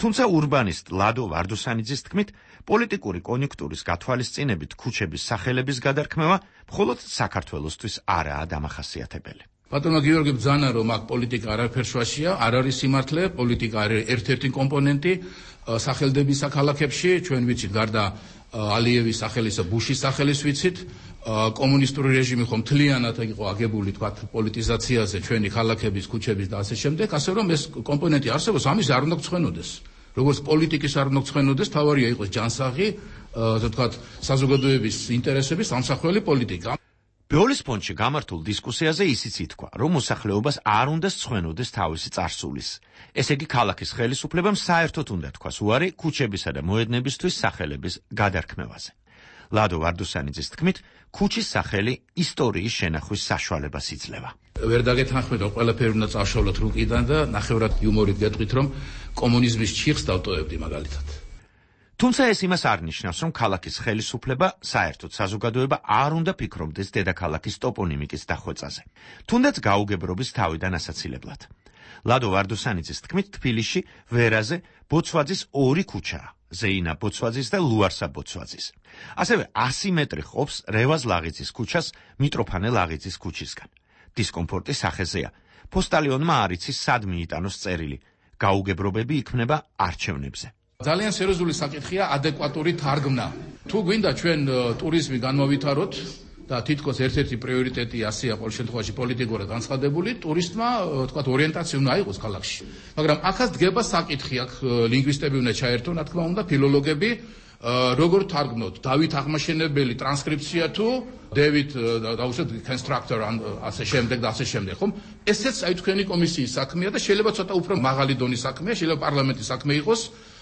თუმცა ურბანისტ ლადო ვარდუსანიძის თქმით, პოლიტიკური კონიუნქტურის გათვალისწინებით ქუჩების სახელების გადარქმევა მხოლოდ საქართველოსთვის არაა დამახასიათებელი. ბატონო გიორგი ბძანა, რომ აქ პოლიტიკა არაფერ შუაშია, არ არის სიმართლე, პოლიტიკა არის ერთ-ერთი კომპონენტი სახელდების ქალაქებში, ჩვენ ვიცით გარდა ალიევის სახელისა, ბუშის სახელის ვიცით, კომუნისტური რეჟიმი ხომ მთლიანად იყო აგებული, თქვათ, პოლიტიზაციაზე, ჩვენი ქალაქების, ქუჩების და ასე შემდეგ, ასე რომ ეს კომპონენტი არსებობს, ამის არ უნდა გწვენოდეს. როგორც პოლიტიკის არ უნდა გწვენოდეს, თავარია იყოს ჯანსაღი, ასე ვთქვათ, საზოგადოების ინტერესების სამსახურელი პოლიტიკა. ბეოლის ფონდში გამართულ დისკუსიაზე ისიც ითქვა, რომ მოსახლეობას არ უნდა სწვენოდეს თავისი წარსულის. ესე იგი, ქალაქის ხელისუფლებამ საერთოდ უნდა თქვას უარი ქუჩებისა და მოედნებისთვის სახელების გადარქმევაზე. ლადო ვარდუსანიძის თქმით, ქუჩის სახელი ისტორიის შენახვის საშუალებას იძლევა. ვერ დაგეთანხმეთ, რომ ყველაფერი უნდა წავშალოთ რუკიდან და ნახევრად იუმორით გეტყვით, რომ კომუნიზმის ჩიხს დავტოვებდი მაგალითად. თუმცა ეს იმას არ ნიშნავს, რომ ქალაქის ხელისუფლება, საერთოდ საზოგადოება არ უნდა ფიქრობდეს დედაქალაქის ტოპონიმიკის დახვეწაზე, თუნდაც გაუგებრობის თავიდან ასაცილებლად. ლადო ვარდუსანიძის თქმით, თბილისში ვერაზე ბოცვაძის ორი ქუჩაა, ზეინა ბოცვაძის და ლუარსა ბოცვაძის. ასევე ასი მეტრი ყოფს რევაზ ლაღიძის ქუჩას მიტროფანე ლაღიძის ქუჩისგან. დისკომფორტი სახეზეა. პოსტალიონმა არ იცის სად მიიტანოს წერილი. გაუგებრობები იქმნება არჩევნებზე. ძალიან სერიოზული საკითხია ადეკვატური თარგმნა. თუ გვინდა ჩვენ ტურიზმი განმოვითაროთ და თითქოს ერთ-ერთი პრიორიტეტი ასეა ყოველ შემთხვევაში პოლიტიკურად განცხადებული, ტურისტმა, თქვათ, ორიენტაცია უნდა აიღოს ქალაქში. მაგრამ ახაც დგება საკითხი, აქ ლინგვისტები უნდა ჩაერთონ, რა თქმა უნდა, ფილოლოგები, როგორ თარგმნოთ დავით აღმაშენებელი ტრანსკრიფცია თუ დევიდ დაუშვათ კონსტრუქტორ ან ასე შემდეგ და ასე შემდეგ, ხომ? ესეც აი თქვენი კომისიის საქმეა და შეიძლება ცოტა უფრო მაღალი დონის საქმეა, შეიძლება პარლამენტის საქმე იყოს.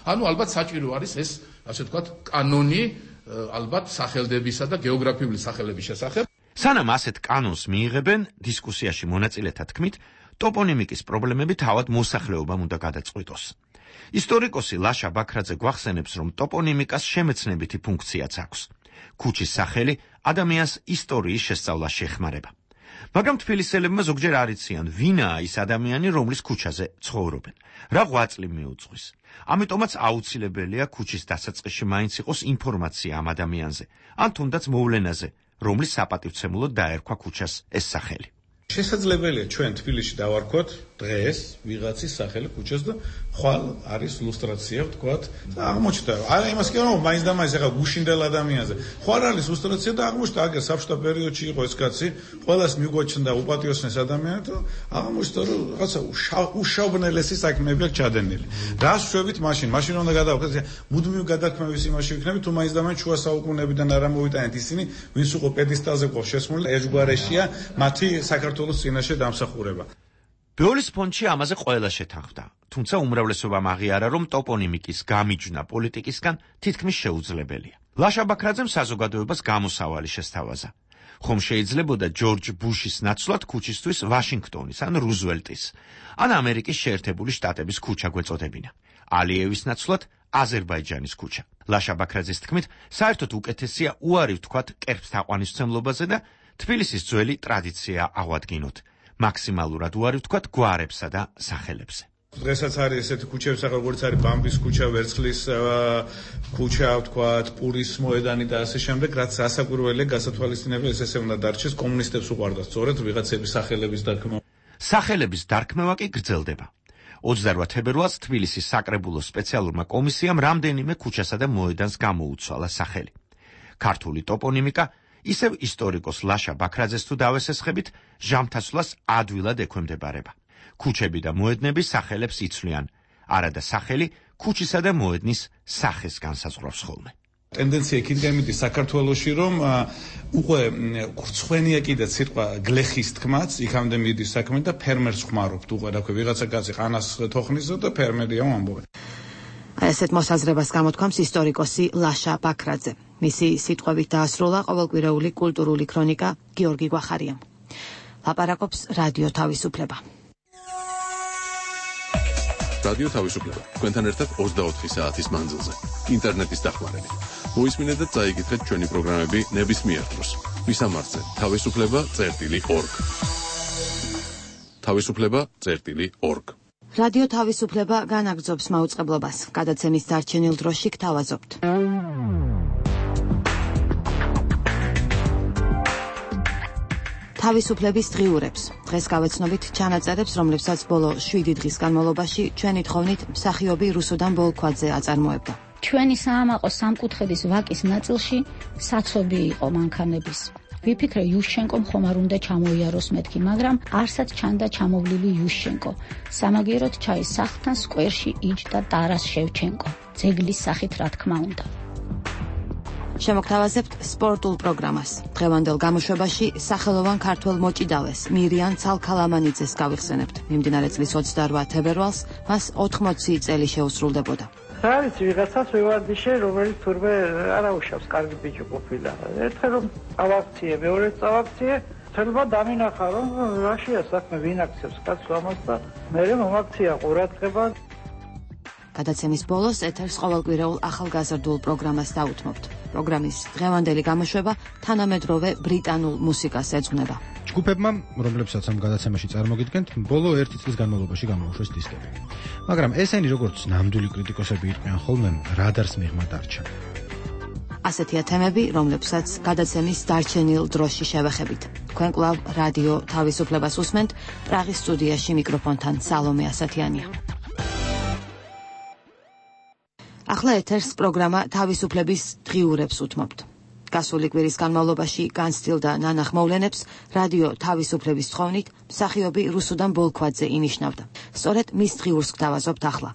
ანუ ალბათ საჭირო არის ეს, ასე ვთქვათ, კანონი ალბათ სახელდებისა და გეოგრაფიული სახელების შესახებ. სანამ ასეთ კანონს მიიღებენ, დისკუსიაში მონაწილეთა თქმით, ტოპონიმიკის პრობლემები თავად მოსახლეობამ უნდა გადაწყვიტოს. ისტორიკოსი ლაშა ბაქრაძე გვახსენებს, რომ ტოპონიმიკას შემეცნებითი ფუნქციაც აქვს. ქუჩის სახელი ადამიანს ისტორიის შესწავლაში ეხმარება. მაგრამ თბილისელებმა ზოგჯერ არ იციან, ვინაა ის ადამიანი, რომლის ქუჩაზე ცხოვრობენ, რა ღვაწლი მიუძღვის. ამიტომაც აუცილებელია ქუჩის დასაწყისში მაინც იყოს ინფორმაცია ამ ადამიანზე, ან თუნდაც მოვლენაზე, რომლის საპატივცემულოდ დაერქვა ქუჩას ეს სახელი. შესაძლებელია ჩვენ თბილისში დავარქვათ დღეს ვიღაცის სახელი ქუჩას და ხვალ არის ლუსტრაცია, ვთქვათ, და აღმოჩნდა. არა იმას კი რომ მაინც და მაინც ახლა გუშინდელ ადამიანზე. ხვალ არის ლუსტრაცია და აღმოჩნდა აგერ საბჭოთა პერიოდში იყო ეს კაცი, ყველას მიგვაჩნდა უპატიოსნეს ადამიანად, აღმოჩნდა რომ რაღაცა უშავნელესი საქმეები აქვს ჩადენილი. რას შვებით მაშინ? მაშინ უნდა გადავხდეთ მუდმივ გადაქმევის იმაში ვიქნებით, თუ მაინც და მაინც შუა საუკუნეებიდან არ ამოვიტანეთ ისინი, ვინც უკვე პედესტალზე ყავს შესმული, ერთგვარეშია მათი საქართველოს წინაშე დამსახურება. ბეოლის ფონდში ამაზე ყველა შეთანხმდა, თუმცა უმრავლესობამ აღიარა, რომ ტოპონიმიკის გამიჯვნა პოლიტიკისგან თითქმის შეუძლებელია. ლაშა ბაქრაძემ საზოგადოებას გამოსავალი შესთავაზა. ხომ შეიძლებოდა ჯორჯ ბუშის ნაცვლად ქუჩისთვის ვაშინგტონის ან რუზველტის, ან ამერიკის შეერთებული შტატების ქუჩა გვეწოდებინა. ალიევის ნაცვლად აზერბაიჯანის ქუჩა. ლაშა ბაქრაძის თქმით, საერთოდ უკეთესია უარი ვთქვათ კერპს თაყვანისმცემლობაზე და თბილისის ძველი ტრადიცია აღვადგინოთ. მაქსიმალურად უარი ვთქვათ გვარებსა და სახელებზე. დღესაც არის ესეთი ქუჩები, როგორც არის ბამბის ქუჩა, ვერცხლის ქუჩა, ვთქვათ, პურის მოედანი და ასე შემდეგ, რაც ასაკვირველია გასათვალისწინებელი, ეს ესე უნდა დარჩეს, კომუნისტებს უყვარდა სწორედ ვიღაცების სახელების დარქმევა. სახელების დარქმევა კი გრძელდება. ოცდაოთხ თებერვალს თბილისის საკრებულოს სპეციალურმა კომისიამ რამდენიმე ქუჩასა და მოედანს გამოუცვალა სახელი. ქართული ტოპონიმიკა ისევ ისტორიკოს ლაშა ბაქრაძეს თუ დავესესხებით, ჟამთასვლას ადვილად ექვემდებარება. ქუჩები და მოედნები სახელებს იცვლიან, არადა სახელი ქუჩისა და მოედნის სახეს განსაზღვრავს ხოლმე. ტენდენცია იქიდან მიდის საქართველოში, რომ უკვე ხრცხვენია კიდეც სიტყვა გლეხის თქმაც, იქამდე მიდის საქმე და ფერმერს ხმარობთ უკვე, რა ქვია, ვიღაცა კაცი ყანას თოხნისო და ფერმერია ამბობენ. ესეთ მოსაზრებას გამოთქვამს ისტორიკოსი ლაშა ბაქრაძე. მისი სიტყვებით დაასრულა ყოველკვირეული კულტურული ქრონიკა გიორგი გვახარიამ. ლაპარაკობს რადიო თავისუფლება. რადიო თავისუფლება. თქვენთან ერთად ოცდაოთხი საათის მანძილზე. ინტერნეტის დახმარებით. მოისმინეთ და წაიკითხეთ ჩვენი პროგრამები ნებისმიერ დროს. მისამართზე თავისუფლება წერტილი ორგ. თავისუფლება წერტილი ორგ. რადიო თავისუფლება განაგრძობს მაუწყებლობას. გადაცემის დარჩენილ დროში გთავაზობთ. თავისუფლების დღიურებს. დღეს გავეცნობით ჩანაწერებს, რომლებსაც ბოლო შვიდი დღის განმავლობაში ჩვენი თხოვნით მსახიობი რუსუდან ბოლქვაძე აწარმოებდა. ჩვენი საამაყო სამკუთხედის ვაკის ნაწილში საცობი იყო მანქანების. ვიფიქრე იუშჩენკომ ხომ არ უნდა ჩამოიაროს მეთქი, მაგრამ არსად ჩანდა ჩამოვლილი იუშჩენკო. სამაგიეროდ ჩაის სახლთან სკვერში იჯდა ტარას შევჩენკო. ძეგლის სახით რა თქმა უნდა. შემოგთავაზებთ სპორტულ პროგრამას. დღევანდელ გამოშვებაში სახელოვან ქართველ მოჭიდალეს მირიან ცალქალამანიძეს გავიხსენებთ. მიმდინარე წლის ოცდაოთხ თებერვალს მას ოთხმოცი წელი შეუსრულდებოდა. რა ვიცი, ვიღაცას ვივარდიშე, რომელიც თურმე არაუშავს, კარგი ბიჭი ყოფილა. ერთხელ რომ წავაქციე, მეორედ წავაქციე, თელმა დამინახა, რომ რაშია საქმე, ვინ აქცევს კაცს ამას და მე მომაქცია ყურადღება. გადაცემის ბოლოს ეთერს ყოველკვირეულ ახალგაზრდულ პროგრამას დაუთმობთ. პროგრამის დღევანდელი გამოშვება თანამედროვე ბრიტანულ მუსიკას ეძღვნება. ჯგუფებმა, რომლებსაც ამ გადაცემაში წარმოგიდგენთ, ბოლო ერთი წლის განმავლობაში გამოუშვეს დისკები. მაგრამ ესენი როგორც ნამდვილი კრიტიკოსები იყვნენ ხოლმე, რადარს მიღმა დარჩა. ასეთია თემები, რომლებსაც გადაცემის დარჩენილ დროში შევეხებით. თქვენ კვლავ რადიო თავისუფლებას უსმენთ, პრაღის სტუდიაში მიკროფონთან სალომე ასათიანია. ახლა ეთერს პროგრამა თავისუფლების დღიურებს უთმობთ. გასული კვირის განმავლობაში განცდილდა ნანახ მოვლენებს რადიო თავისუფლების თხოვნით მსახიობი რუსუდან ბოლქვაძე ინიშნავდა. სწორედ მის დღიურს გთავაზობთ ახლა.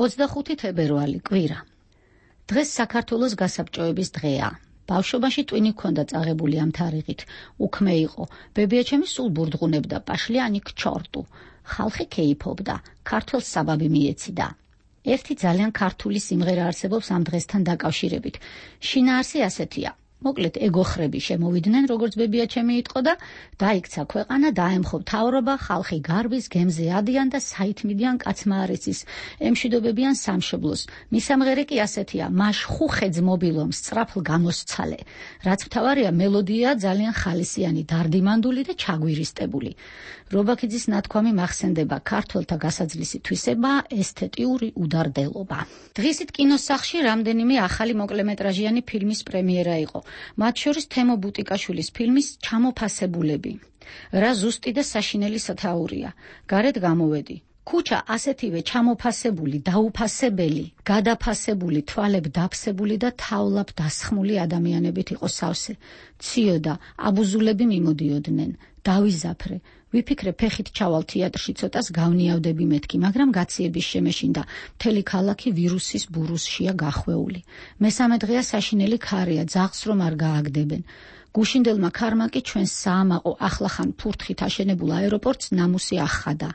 ოცდახუთი თებერვალი კვირა. დღეს საქართველოს გასაბჭოების დღეა. ბავშვობაში ტვინი ჰქონდა წაღებული ამ თარიღით. უქმე იყო, ბებიაჩემი სულ ბურდღუნებდა, პაშლიანი ქჩორტუ. ხალხი კეიფობდა, ქართველს საბაბი მიეციდა. ერთი ძალიან ქართული სიმღერა არსებობს ამ დღესთან დაკავშირებით. შინაარსი ასეთია. მოკლედ ეგოხრები შემოვიდნენ, როგორც ბებიაჩემი იტყო და დაიქცა ქვეყანა, დაემხო მთავრობა, ხალხი გარბის გემზე ადიან და საითმიდიან კაცმა არ იცის, ემშვიდობებიან სამშობლოს. მისამღერე კი ასეთია: მაშ ხუხედს მობილომ სწრაფლ გამოსცალე. რაც მთავარია, მელოდია ძალიან ხალისიანი, დარდიმანდული და ჩაგვირისტებული. რობაქიძის ნათქვამი მახსენდება: ქართველთა გასაძლისი თვისება, ესთეტიური უდარდელობა. დღისით კინოსახლში რამდენიმე ახალი მოკლემეტრაჟიანი ფილმის პრემიერა იყო. მათ შორის თემო ბუტიკაშვილის ფილმის ჩამოფასებულები. რა ზუსტი და საშინელი სათაურია. გარეთ გამოვედი. ქუჩა ასეთივე ჩამოფასებული, დაუფასებელი, გადაფასებული, თვალებ დაფსებული და თავლაბ დასხმული ადამიანებით იყო სავსე. ციოდა, აბუზულები მიმოდიოდნენ. დავიზაფრე. ვიფიქრე ფეხით ჩავალ თეატრში, ცოტას გავნიავდები მეთქი, მაგრამ გაციების შემეშინდა. მთელი ქალაქი ვირუსის ბურუსშია გახვეული. მესამე დღეა საშინელი ქარია, ძაღლს რომ არ გააგდებენ. გუშინდელმა ქარმა კი ჩვენს საამაყო ახლახან ფურთხით აშენებულ აეროპორტს ნამუსი ახადა.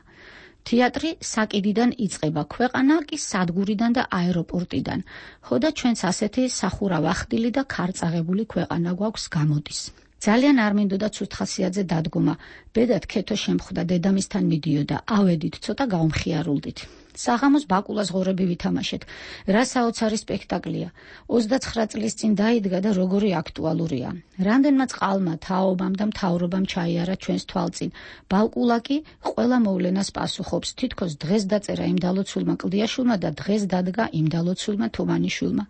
თეატრი საკიდიდან იწყება, ქვეყანა კი სადგურიდან და აეროპორტიდან. ხოდა ჩვენც ასეთი სახურავ ახდილი და ქარწაღებული ქვეყანა გვაქვს გამოდის. ძალიან არ მინდოდა ცუთხასიათზე დადგომა. ბედად ქეთო შემხვდა, დედამისთან მიდიოდა. ავედით, ცოტა გავმხიარულდით. საღამოს ბაკულას ღორები ვითამაშეთ. რა საოცარი სპექტაკლია. ოცდაცხრა წლის წინ დაიდგა და როგორი აქტუალურია. რამდენმა წყალმა, თაობამ და მთავრობამ ჩაიარა ჩვენს თვალწინ. ბაკულა კი ყველა მოვლენას პასუხობს. თითქოს დღეს დაწერა იმ დალოცულმა კლდიაშვილმა და დღეს დადგა იმ დალოცულმა თუმანიშვილმა.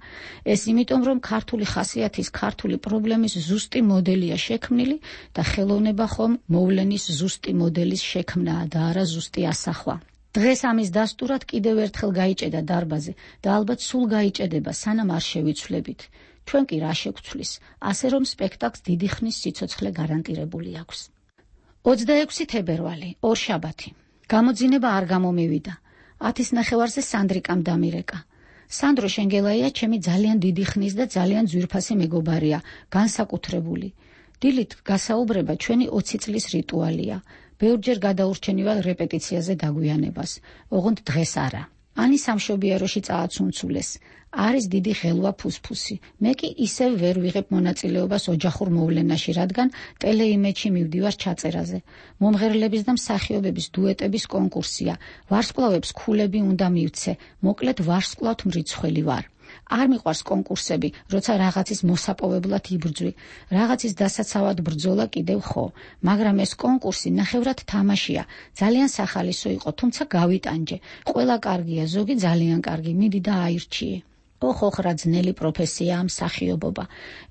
ეს იმიტომ, რომ ქართული ხასიათის, ქართული პრობლემის ზუსტი მოდელია შექმნილი და ხელოვნება ხომ მოვლენის ზუსტი მოდელის შექმნაა და არა ზუსტი ასახვა. დღეს ამის დასტურად კიდევ ერთხელ გაიჭედა დარბაზი და ალბათ სულ გაიჭედება, სანამ არ შევიცვლებით. ჩვენ კი რა შეგვცვლის, ასე რომ სპექტაკლს დიდი ხნის სიცოცხლე გარანტირებული აქვს. ოცდაექვსი თებერვალი, ორშაბათი. გამოძინება არ გამომივიდა. ათის ნახევარზე სანდრიკამ დამირეკა. სანდრო შენგელაია ჩემი ძალიან დიდი ხნის და ძალიან ძვირფასი მეგობარია, განსაკუთრებული. დილით გასაუბრება ჩვენი ოცი წლის რიტუალია. ბევრჯერ გადაურჩენივალ რეპეტიციაზე დაგვიანებას. ოღონდ დღეს არა. ანი სამშობიაროში წააცუნცულეს. არის დიდი ღელვა ფუსფუსი. მე კი ისევ ვერ ვიღებ მონაწილეობას ოჯახურ მოვლენაში, რადგან ტელეიმედში მივდივარ ჩაწერაზე. მომღერლების და მსახიობების დუეტების კონკურსია. ვარსკვლავებს ქულები უნდა მივცე. მოკლედ ვარსკვლავთ მრიცხველი ვარ. არ მიყვარს კონკურსები, როცა რაღაცის მოსაპოვებლად იბრძვი. რაღაცის დასაცავად ბრძოლა კიდევ ხო, მაგრამ ეს კონკურსი ნახევრად თამაშია. ძალიან სახალისო იყო, თუმცა გავიტანჯე. ყველა კარგია, ზოგი ძალიან კარგი, მიდი და აირჩიე. ოხ ოხ რა ძნელი პროფესიაა მსახიობობა.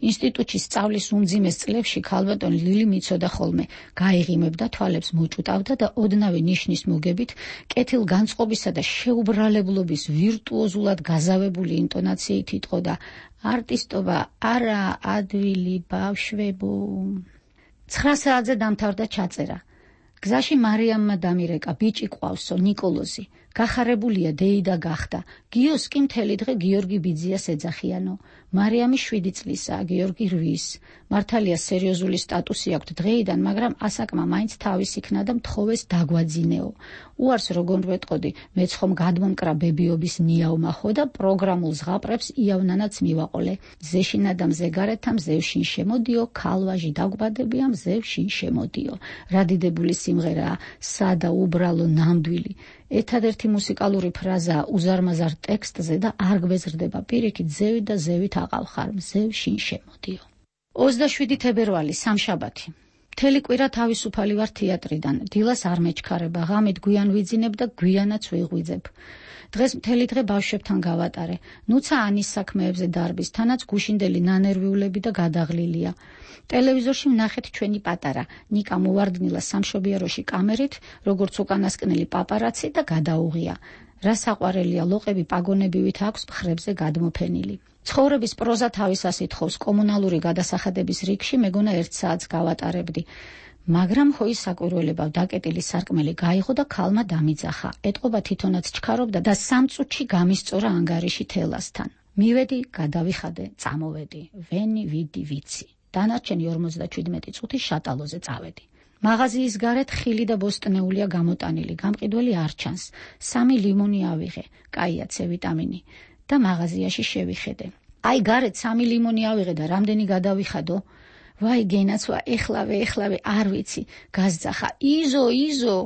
ინსტიტუტში სწავლის უმძიმეს წლებში ქალბატონი ლილი მიცოდა ხოლმე, გაიღიმებდა, თვალებს მოჭუტავდა და ოდნავი ნიშნის მოგებით, კეთილ განწყობისა და შეუბრალებლობის ვირტუოზულად გაზავებული ინტონაციით იტყოდა: არტისტობა არა, ადვილი ბავშვებო. ცხრა საათზე დამთავრდა ჩაწერა. გზაში მარიამმა დამირეკა, ბიჭი ყავსო, ნიკოლოზი. გახარებულია დეიდა გახდა. გიოს კი მთელი დღე გიორგი ბიძიას ეძახიანო. მარიამი შვიდი წლისაა, გიორგი რვის. მართალია სერიოზული სტატუსი აქვს დღეიდან, მაგრამ ასაკმა მაინც თავის იქნა და მთხოვეს დაგვაძინეო. უარს როგორ ვეტყოდი, მეც ხომ გადმომკრა ბებიობის ნიავმახო და პროგრამულ ზღაპრებს იავნანაც მივაყოლე. ზეშინა და მზეგარეთა მზევშინ შემოდიო, ქალვაჟი დაგვბადებია მზევშინ შემოდიო. რა დიდებული სიმღერაა, სადა, უბრალო, ნამდვილი. ერთადერთი მუსიკალური ფრაზაა უზარმაზარ ტექსტზე და არ გვეზრდება პირიქით ზევით და ზევით აყავხარ, მზევშინ შემოდიო. ოცდაშვიდი თებერვალი, სამშაბათი. მთელი კვირა თავისუფალი ვარ თეატრიდან. დილას არ მეჩქარება, ღამით გვიან ვიძინებ და გვიანაც ვიღვიძებ. დღეს მთელი დღე ბავშვებთან გავატარე. ნუცა ანის საქმეებზე დარბის, თანაც გუშინდელი ნანერვიულები და გადაღლილია. ტელევიზორში ვნახეთ ჩვენი პატარა, ნიკა მოვარდნილა სამშობიაროში კამერით, როგორც უკანასკნელი პაპარაცი და გადაუღია. რა საყვარელია, ლოყები პაგონებივით აქვს მხრებზე გადმოფენილი. ცხოვრების პროზა თავისას ითხოვს, კომუნალური გადასახადების რიგში მეგონა ერთ საათს გავატარებდი. მაგრამ ხო ის საკვირველება დაკეტილი სარკმელი გაიღო და ქალმა დამიძახა. ეტყობა თვითონაც ჩქარობდა და სამ წუთში გამისწორა ანგარიში თელასთან. მივედი, გადავიხადე, წამოვედი. ვენი, ვიდი, ვიცი. დანარჩენი ორმოცდაჩვიდმეტი წუთი შატალოზე წავედი. მაღაზიის გარეთ ხილი და ბოსტნეულია გამოტანილი, გამყიდველი არ ჩანს. სამი ლიმონი ავიღე, კაია C ვიტამინი და მაღაზიაში შევიხედე. აი გარეთ სამი ლიმონი ავიღე და რამდენი გადავიხადო? ვაი გენაცვა, ეხლავე, ეხლავე, არ ვიცი, გაზძახა. იზო, იზო.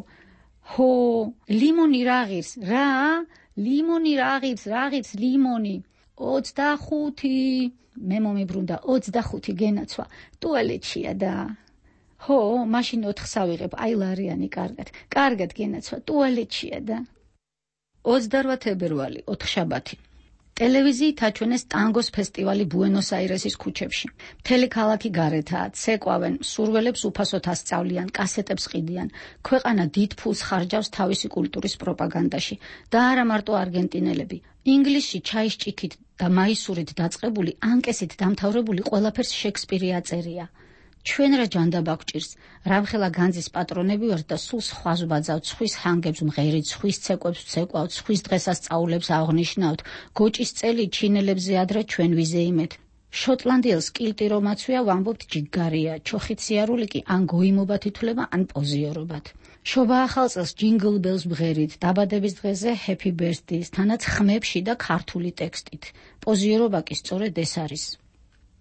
ჰო, ლიმონი რა ღირს? რა? ლიმონი რა ღირს? რა ღირს ლიმონი? ოცდახუთი. მე მომიბრუნდა, ოცდახუთი გენაცვა. ტუალეტშია და ჰო, მაშინ ოთხს ავიღებ, აი ლარიანი, კარგად. კარგად გენაცვა, ტუალეტშია და ოცდარვა თებერვალი, ოთხშაბათი. ტელევიზიით აჩვენეს ტანგოს ფესტივალი ბუენოს-აირესის ქუჩებში. მთელი ქალაქი გარეთაა, ცეკვავენ, მსურველებს უფასოდ ასწავლიან, კასეტებს ყიდიან. ქვეყანა დიდ ფულს ხარჯავს თავისი კულტურის პროპაგანდაში და არა მარტო არგენტინელები. ინგლისში ჩაის ჭიქით და მაისურით დაწყებული, ანკესით დამთავრებული ყველაფერს შექსპირი აწერია. ჩვენ რა ჯანდაბა გვჭირს, რამხელა განძის პატრონები ვართ და სულ სხვას ვბაძავთ, სხვის ჰანგებს მღერით, სხვის ცეკვებს ვცეკვავთ, სხვის დღესასწაულებს აღნიშნავთ, გოჭის წელი ჩინელებზე ადრე ჩვენ ვიზეიმეთ. შოტლანდიელს კილტი რომ აცვია, ვამბობთ ჯიგარია, ჩოხით სიარული კი ან გოიმობათ ითვლება, ან პოზიორობათ. შობა ახალ წელს ჯინგლ ბელს მღერით, დაბადების დღეზე ჰეპი ბერთდეის, თანაც ხმებში და ქართული ტექსტით. პოზიორობა კი სწორედ ეს არის.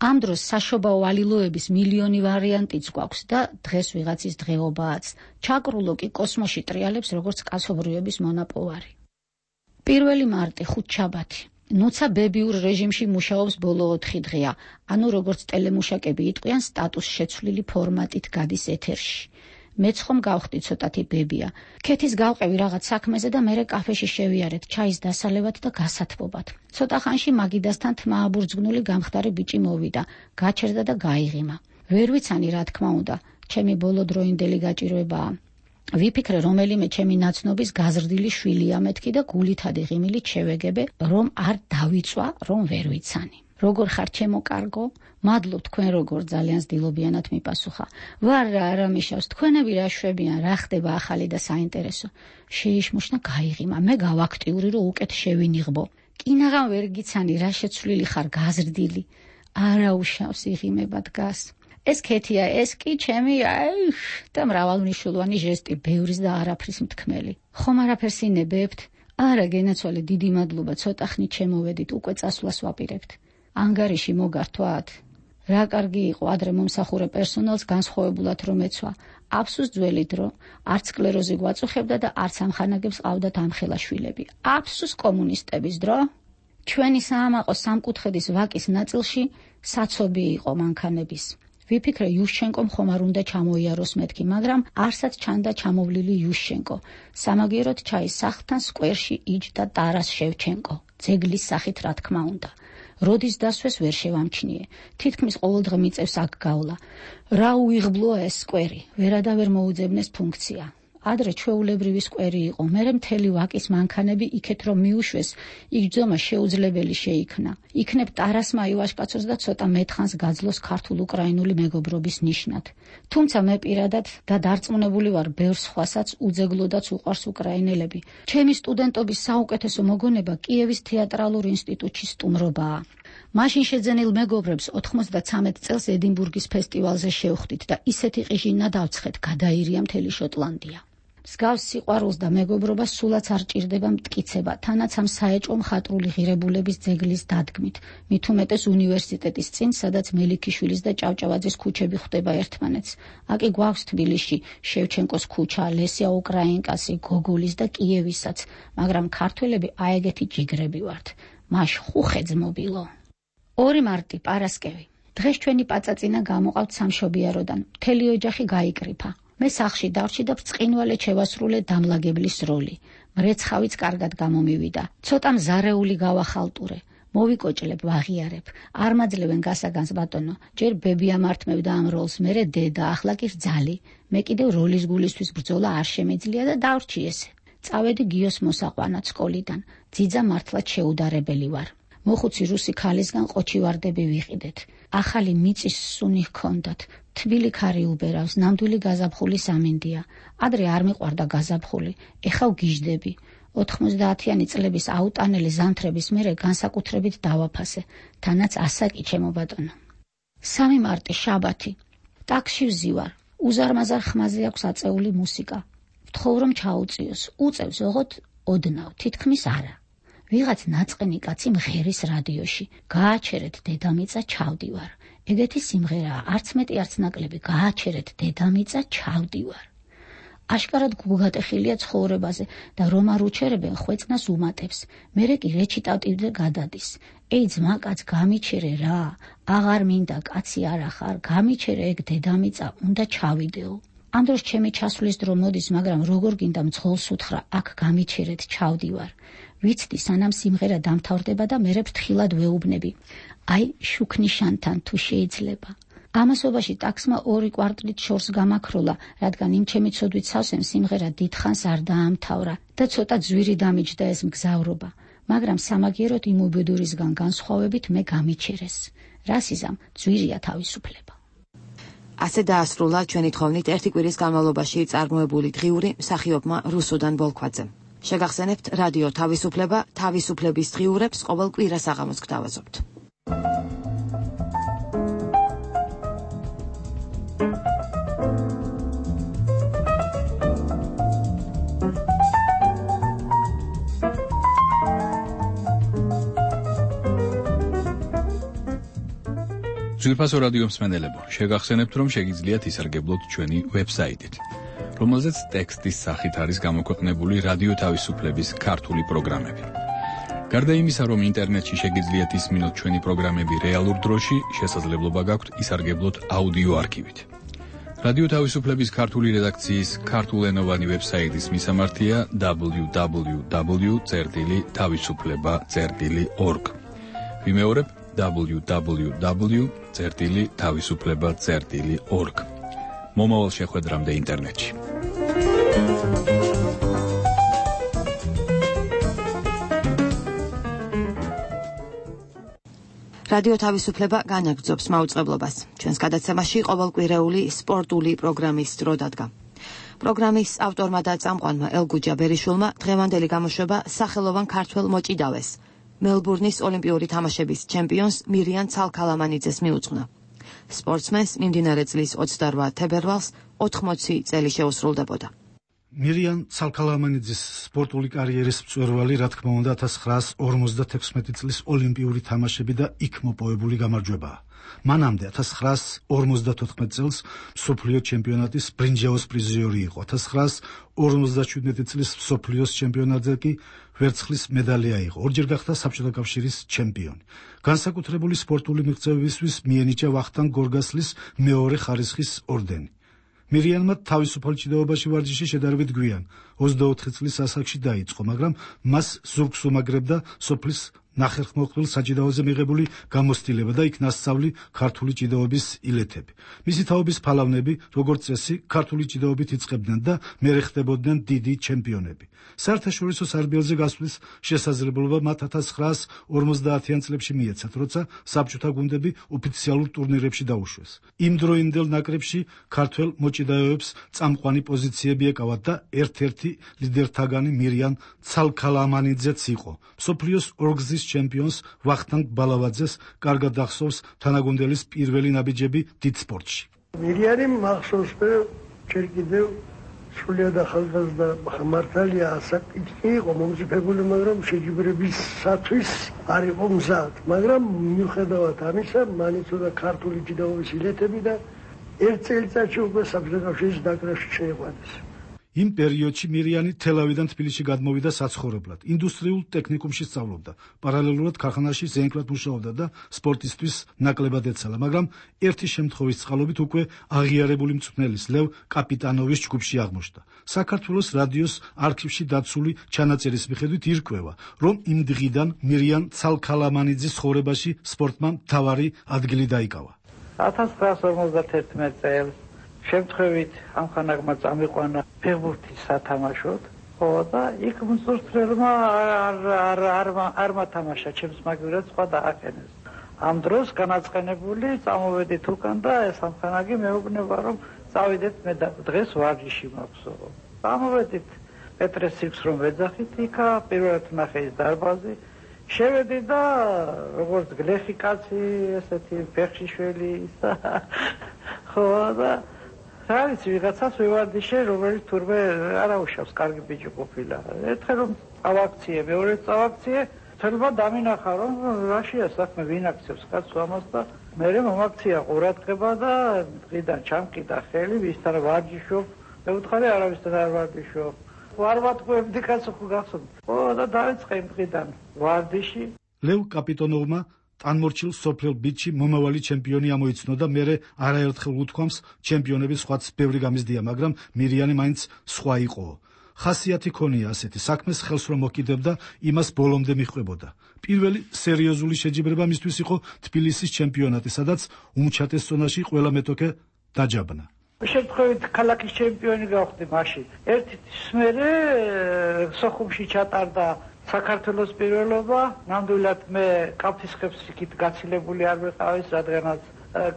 ამ დროს საშობაო ალილოების მილიონი ვარიანტიც გვაქვს და დღეს ვიღაცის დღეობააც. ჩაკრულო კი კოსმოსში ტრიალებს როგორც კაცობრიობის მონაპოვარი. პირველი მარტი ხუთშაბათი. ნოცა ბებიურ რეჟიმში მუშაობს ბოლო ოთხი დღეა, ანუ როგორც ტელემუშაკები იტყვიან, სტატუს შეცვლილი ფორმატით გადის ეთერში. მეც ხომ გავხდი ცოტათი ბებია. ქეთის გავყევი რაღაც საქმეზე და მერე კაფეში შევიარეთ ჩაის დასალევად და გასათბობად. ცოტა ხანში მაგიდასთან თმააბურძგნული გამხდარი ბიჭი მოვიდა, გაჩერდა და გაიღიმა. ვერ ვიცანი რა თქმა უნდა, ჩემი ბოლოდროინდელი გაჭირვებაა. ვიფიქრე რომელიმე ჩემი ნაცნობის გაზრდილი შვილია მეთქი და გულითადი ღიმილით შევეგებე, რომ არ დავიწვა, რომ ვერ ვიცანი. როგორ ხარ ჩემო კარგო? მადლობ თქვენ როგორ ძალიან ზდილობიანად მიპასუხა. ვარ რა არა მიშავს, თქვენები რა შვებიან, რა ხდება ახალი და საინტერესო. შეიშმუშნა გაიღიმა, მე გავაქტიური რომ უკეთ შევინიღბო. კინაღამ ვერ გიცანი რა შეცვლილი ხარ გაზრდილი. არა უშავს იღიმება დგას. ეს ქეთია, ეს კი ჩემი აი და მრავალმნიშვნელოვანი ჟესტი, ბევრის და არაფრის მთქმელი. ხომ არაფერს ინებებთ? არა გენაცვალე, დიდი მადლობა, ცოტა ხნით შემოვედით, უკვე წასვლას ვაპირებთ. ანგარიში მოგართვათ? რა კარგი იყო, ადრე მომსახურე პერსონალს განსხვავებულად რომ ეცვა. აფსუს ძველი დრო, არც სკლეროზი გვაწუხებდა და არც ამხანაგებს ყავდათ ამხელა შვილები. აფსუს კომუნისტების დრო. ჩვენი საამაყო სამკუთხედის ვაკის ნაწილში საცობი იყო მანქანების. ვიფიქრე იუშჩენკომ ხომ არ უნდა ჩამოიაროს მეთქი, მაგრამ არსად ჩანდა ჩამოვლილი იუშჩენკო. სამაგიეროდ ჩაის სახლთან სკვერში იჯდა ტარას შევჩენკო, ძეგლის სახით რა თქმა უნდა. როდის დასვეს ვერ შევამჩნიე. თითქმის ყოველდღე მიწევს აქ გავლა. რა უიღბლოა ეს სკვერი, ვერადავერ მოუძებნეს ფუნქცია. ადრე ჩვეულებრივი სკვერი იყო, მერე მთელი ვაკის მანქანები იქეთ რომ მიუშვეს, იგრძომა შეუძლებელი შეიქმნა. იქნებ ტარასმა ივაშკაცოს და ცოტა მეთხანს გაძლოს ქართულ-უკრაინული მეგობრობის ნიშნად. თუმცა მე პირადად და დარწმუნებული ვარ, ბევრ სხვასაც უძეგლოდაც უყვარს უკრაინელები. ჩემი სტუდენტობის საუკეთესო მოგონება კიევის თეატრალურ ინსტიტუტში სტუმრობაა. მაშინ შეძენილ მეგობრებს ოთხმოცდაცამეტ წელს ედინბურგის ფესტივალზე შევხვდით და ისეთი ყიჟინა დავცხეთ, გადაირია მთელი შოტლანდია. მსგავს სიყვარულს და მეგობრობას სულაც არ ჭირდება მტკიცება, თანაც ამ საეჭვო მხატვრული ღირებულების ძეგლის დადგმით, მით უმეტეს უნივერსიტეტის წინ, სადაც მელიქიშვილის და ჭავჭავაძის ქუჩები ხვდება ერთმანეთს. აკი გვაქვს თბილისში შევჩენკოს ქუჩა, ლესია უკრაინკასი, გოგოლის და კიევისაც, მაგრამ ქართველები აეგეთი ჯიგრები ვართ. მაშ ხუხე ძმობილო. ორი მარტი პარასკევი. დღეს ჩვენი პაწაწინა გამოყავთ სამშობიაროდან. მთელი ოჯახი გაიკრიფა. მე სახლში დავჭი და ბრწყინვალე შევასრულე დამლაგებლის როლი. მრეცხავიც კარგად გამომივიდა. ცოტა მზარეული გავახალტურე. მოვიკოჭლებ, ვაღიარებ. არ მაძლევენ გასაგანს ბატონო. ჯერ ბები ამართმევდა ამ როლს, მერე დედა, ახლა კი რძალი. მე კიდევ როლის გულისთვის ბრძოლა არ შემიძლია და დავრჩი ესე. წავედი გიოს მოსაყვანად სკოლიდან. ძიძა მართლაც შეუდარებელი ვარ. მოხუცი რუსი ქალისგან ყოჩი ვარდები ვიყიდეთ. ახალი მიწის სუნი ჰქონდათ. თბილი ქარი უბერავს, ნამდვილი გაზაფხული სამინდია. ადრე არ მიყვარდა გაზაფხული, ეხა ვგიჟდები. ოთხმოცდაათიანი წლების აუტანელი ზამთრების მერე განსაკუთრებით დავაფასე, თანაც ასაკი ჩემო ბატონო. სამი მარტი შაბათი. ტაქსში ვზივარ. უზარმაზარ ხმაზე აქვს აწეული მუსიკა. ვთხოვ რომ ჩაუწიოს. უწევს ოღონდ ოდნავ, თითქმის არა. ვიღაც ნაწყენი კაცი მღერის რადიოში. გააჩერეთ დედამიწა, ჩავდივარ. ეგეთი სიმღერაა, არც მეტი არც ნაკლები. გააჩერეთ დედამიწა, ჩავდივარ. აშკარად გუგატეხილია ცხოვრებაზე და რომ არ უჩერებენ ხვეწნას უმატებს. მერე კი რეჩიტატივზე გადადის. ეი ძმა კაც გამიჩერე რა, აღარ მინდა კაცი არ ახარ, გამიჩერე ეგ დედამიწა, უნდა ჩავიდეო. ამ დროს ჩემი ჩასვლის დრო მოდის, მაგრამ როგორ გინდა მძღოლს უთხრა, აქ გამიჩერეთ, ჩავდივარ. ვიცდი სანამ სიმღერა დამთავრდება და მერე ფრთხილად ვეუბნები. აი შუქნიშანთან თუ შეიძლება. ამასობაში ტაქსმა ორი კვარტლით შორს გამაქროლა, რადგან იმ ჩემი ცოდვით სავსემ სიმღერა დიდხანს არ დაამთავრა და ცოტა ძვირი დამიჯდა ეს მგზავრობა. მაგრამ სამაგიეროდ იმ უბედურისგან განსხვავებით მე გამიჩერეს. რასიზამ ძვირია თავისუფლება. ასე დაასრულა ჩვენი თხოვნით ერთი კვირის განმავლობაში წარმოებული დღიური მსახიობმა რუსუდან ბოლქვაძემ. შეგახსენებთ რადიო თავისუფლება, თავისუფლების დღიურებს ყოველ კვირას საღამოს გთავაზობთ. ძვირფასო რადიო მსმენელებო, შეგახსენებთ რომ შეგიძლიათ ისარგებლოთ ჩვენი ვებსაიტით. რომელზეც ტექსტის სახით არის გამოქვეყნებული რადიო თავისუფლების ქართული პროგრამები. გარდა იმისა, რომ ინტერნეტში შეგიძლიათ ისმინოთ ჩვენი პროგრამები რეალურ დროში, შესაძლებლობა გაქვთ ისარგებლოთ აუდიო არქივით. რადიო თავისუფლების ქართული რედაქციის ქართულენოვანი ვებსაიტის მისამართია დაბლიუ დაბლიუ დაბლიუ წერტილი თავისუფლება წერტილი ორგ. ვიმეორებ დაბლიუ დაბლიუ დაბლიუ წერტილი თავისუფლება წერტილი ორგ. მომავალ შეხვედრამდე ინტერნეტში. რადიო თავისუფლება განაგრძობს მაუწყებლობას. ჩვენს გადაცემაში ყოველკვირეული სპორტული პროგრამის დრო დადგა. პროგრამის ავტორმა და წამყვანმა ელგუჯა ბერიშულმა დღევანდელი გამოშვება სახელოვან ქართველ მოჭიდავეს, მელბურნის ოლიმპიური თამაშების ჩემპიონს მირიან ცალქალამანიძეს მიუძღვნა. სპორტსმენს მიმდინარე წლის ოცდარვა თებერვალს ოთხმოცი წელი შეუსრულდებოდა. მირიან ცალქალამანიძის სპორტული კარიერის მწვერვალი, რა თქმა უნდა, ათას ცხრაას ორმოცდათექვსმეტი წლის ოლიმპიური თამაშები და იქ მოპოვებული გამარჯვებაა. მანამდე ათას ცხრაას ორმოცდათოთხმეტ წელს მსოფლიო ჩემპიონატის ბრინჯაოს პრიზიორი იყო. ათას ცხრაას ორმოცდაშვიდმეტი წლის მსოფლიოს ჩემპიონატზე კი ვერცხლის მედალი აიღო. ორჯერ გახდა საბჭოთა კავშირის ჩემპიონი. განსაკუთრებული სპორტული მიღწევებისთვის მიენიჭა ვახტანგ გორგასლის მეორე ხარისხის ორდენი. მირიანმა თავისუფალ ჭიდაობაში ვარჯიში შედარებით გვიან, ოცდაოთხი წლის ასაკში დაიწყო, მაგრამ მას ზურგს უმაგრებდა სოფლის ნახერხმოყრილ საჭიდაოზე მიღებული გამოცდილება და იქ ნასწავლი ქართული ჭიდაობის ილეთები. მისი თაობის ფალავნები, როგორც წესი, ქართული ჭიდაობით იწყებდნენ და მერე ხდებოდნენ დიდი ჩემპიონები. საერთაშორისო სარბიელზე გასვლის შესაძლებლობა მათ ათას ცხრაას ორმოცდაათიან წლებში მიეცათ, როცა საბჭოთა გუნდები ოფიციალურ ტურნირებში დაუშვეს. იმ დროინდელ ნაკრებში ქართველ მოჭიდავეებს წამყვანი პოზიციები ეკავათ და ერთ-ერთი ლიდერთაგანი მირიან ცალქალამანიძეც იყო. მსოფლიოს ორგზის ჩემპიონს ვახტანგ ბალავაძეს კარგად ახსოვს თანაგუნდელის პირველი ნაბიჯები დიდ სპორტში. მირიანი მახსოვს, ჯერ კიდევ სრულიად ახალგაზრდა მართალია ასაკი იყო მომზიფებული, მაგრამ შეჯიბრებისათვის არ იყო მზად. მაგრამ მიუხედავად ამისა, მან იცოდა ქართული ჭიდაობის ილეთები და ერთ წელიწადში უკვე საბჭოთა კავშირის ნაკრებში შეიყვანეს. იმ პერიოდში მირიანი თელავიდან თბილისში გადმოვიდა საცხოვრებლად. ინდუსტრიულ ტექნიკუმში სწავლობდა. პარალელურად ქარხანაში ზენკლად მუშაობდა და სპორტისთვის ნაკლებად ეცალა, მაგრამ ერთი შემთხვევის წყალობით უკვე აღიარებული მწვრთნელის ლევ კაპიტანოვის ჯგუფში აღმოჩნდა. საქართველოს რადიოს არქივში დაცული ჩანაწერის მიხედვით ირკვევა, რომ იმ დღიდან მირიან ცალქალამანიძის ცხოვრებაში სპორტმა მთავარი ადგილი დაიკავა. ათას ცხრაას ორმოცდათერთმეტ წელს შემთხვევით ამხანაგმა წამიყვანა ფეხბურთის სათამაშოდ, ხო და იქ მწვრთნელმა არ არ არ არ მათამაშა ჩემს მაგივრად სხვა დააკენეს. ამ დროს განაწყენებული წამოვედით უკან და ეს ამხანაგი მეუბნება, რომ წავიდეთ მე და დღეს ვარჯიში მაქვსო. წამოვედით პეტრე სიქს რომ ვეძახით იქა პირველად ნახე ის დარბაზი. შევედი და როგორც გლეხი კაცი, ესეთი ფეხშიშველი ხო და არის ვიღაცას ვივარდიშე, რომელიც თურმე არაუშავს, კარგი ბიჭი ყოფილა. ერთხელ რომ წავაქციე, მეორე წავაქციე, თელმა დამინახა, რომ რაშია საქმე, ვინ აქცევს კაცს ამას და მერე მომაქცია ყურადღება და დღიდან ჩამკიდა ხელი, ვისთან ვარჯიშობ, მე ვუთხარი არავისთან არ ვარჯიშობ. ვარ ვატყუებდი კაცო ხო გახსოვთ. ხო და დაიწყე იმ დღიდან ვარჯიში. ლევ კაპიტონოვმა ტანმორჩილ სოფლელ ბიჭი მომავალი ჩემპიონი ამოიცნო და მერე არაერთხელ უთქვამს, ჩემპიონების სხვაც ბევრი გამიზდია, მაგრამ მირიანი მაინც სხვა იყო. ხასიათი ქონია ასეთი, საქმეს ხელს რომ მოკიდებდა, იმას ბოლომდე მიჰყვებოდა. პირველი სერიოზული შეჯიბრება მისთვის იყო თბილისის ჩემპიონატი, სადაც უმჩატეს ზონაში ყველა მეტოქე დაჯაბნა. შემთხვევით ქალაქის ჩემპიონი გავხდი მაშინ. ერთი თვის მერე სოხუმში ჩატარდა საქართველოს პირველობა, ნამდვილად მე კაფთისხებს იქით გაცილებული არ ვიყავის, რადგანაც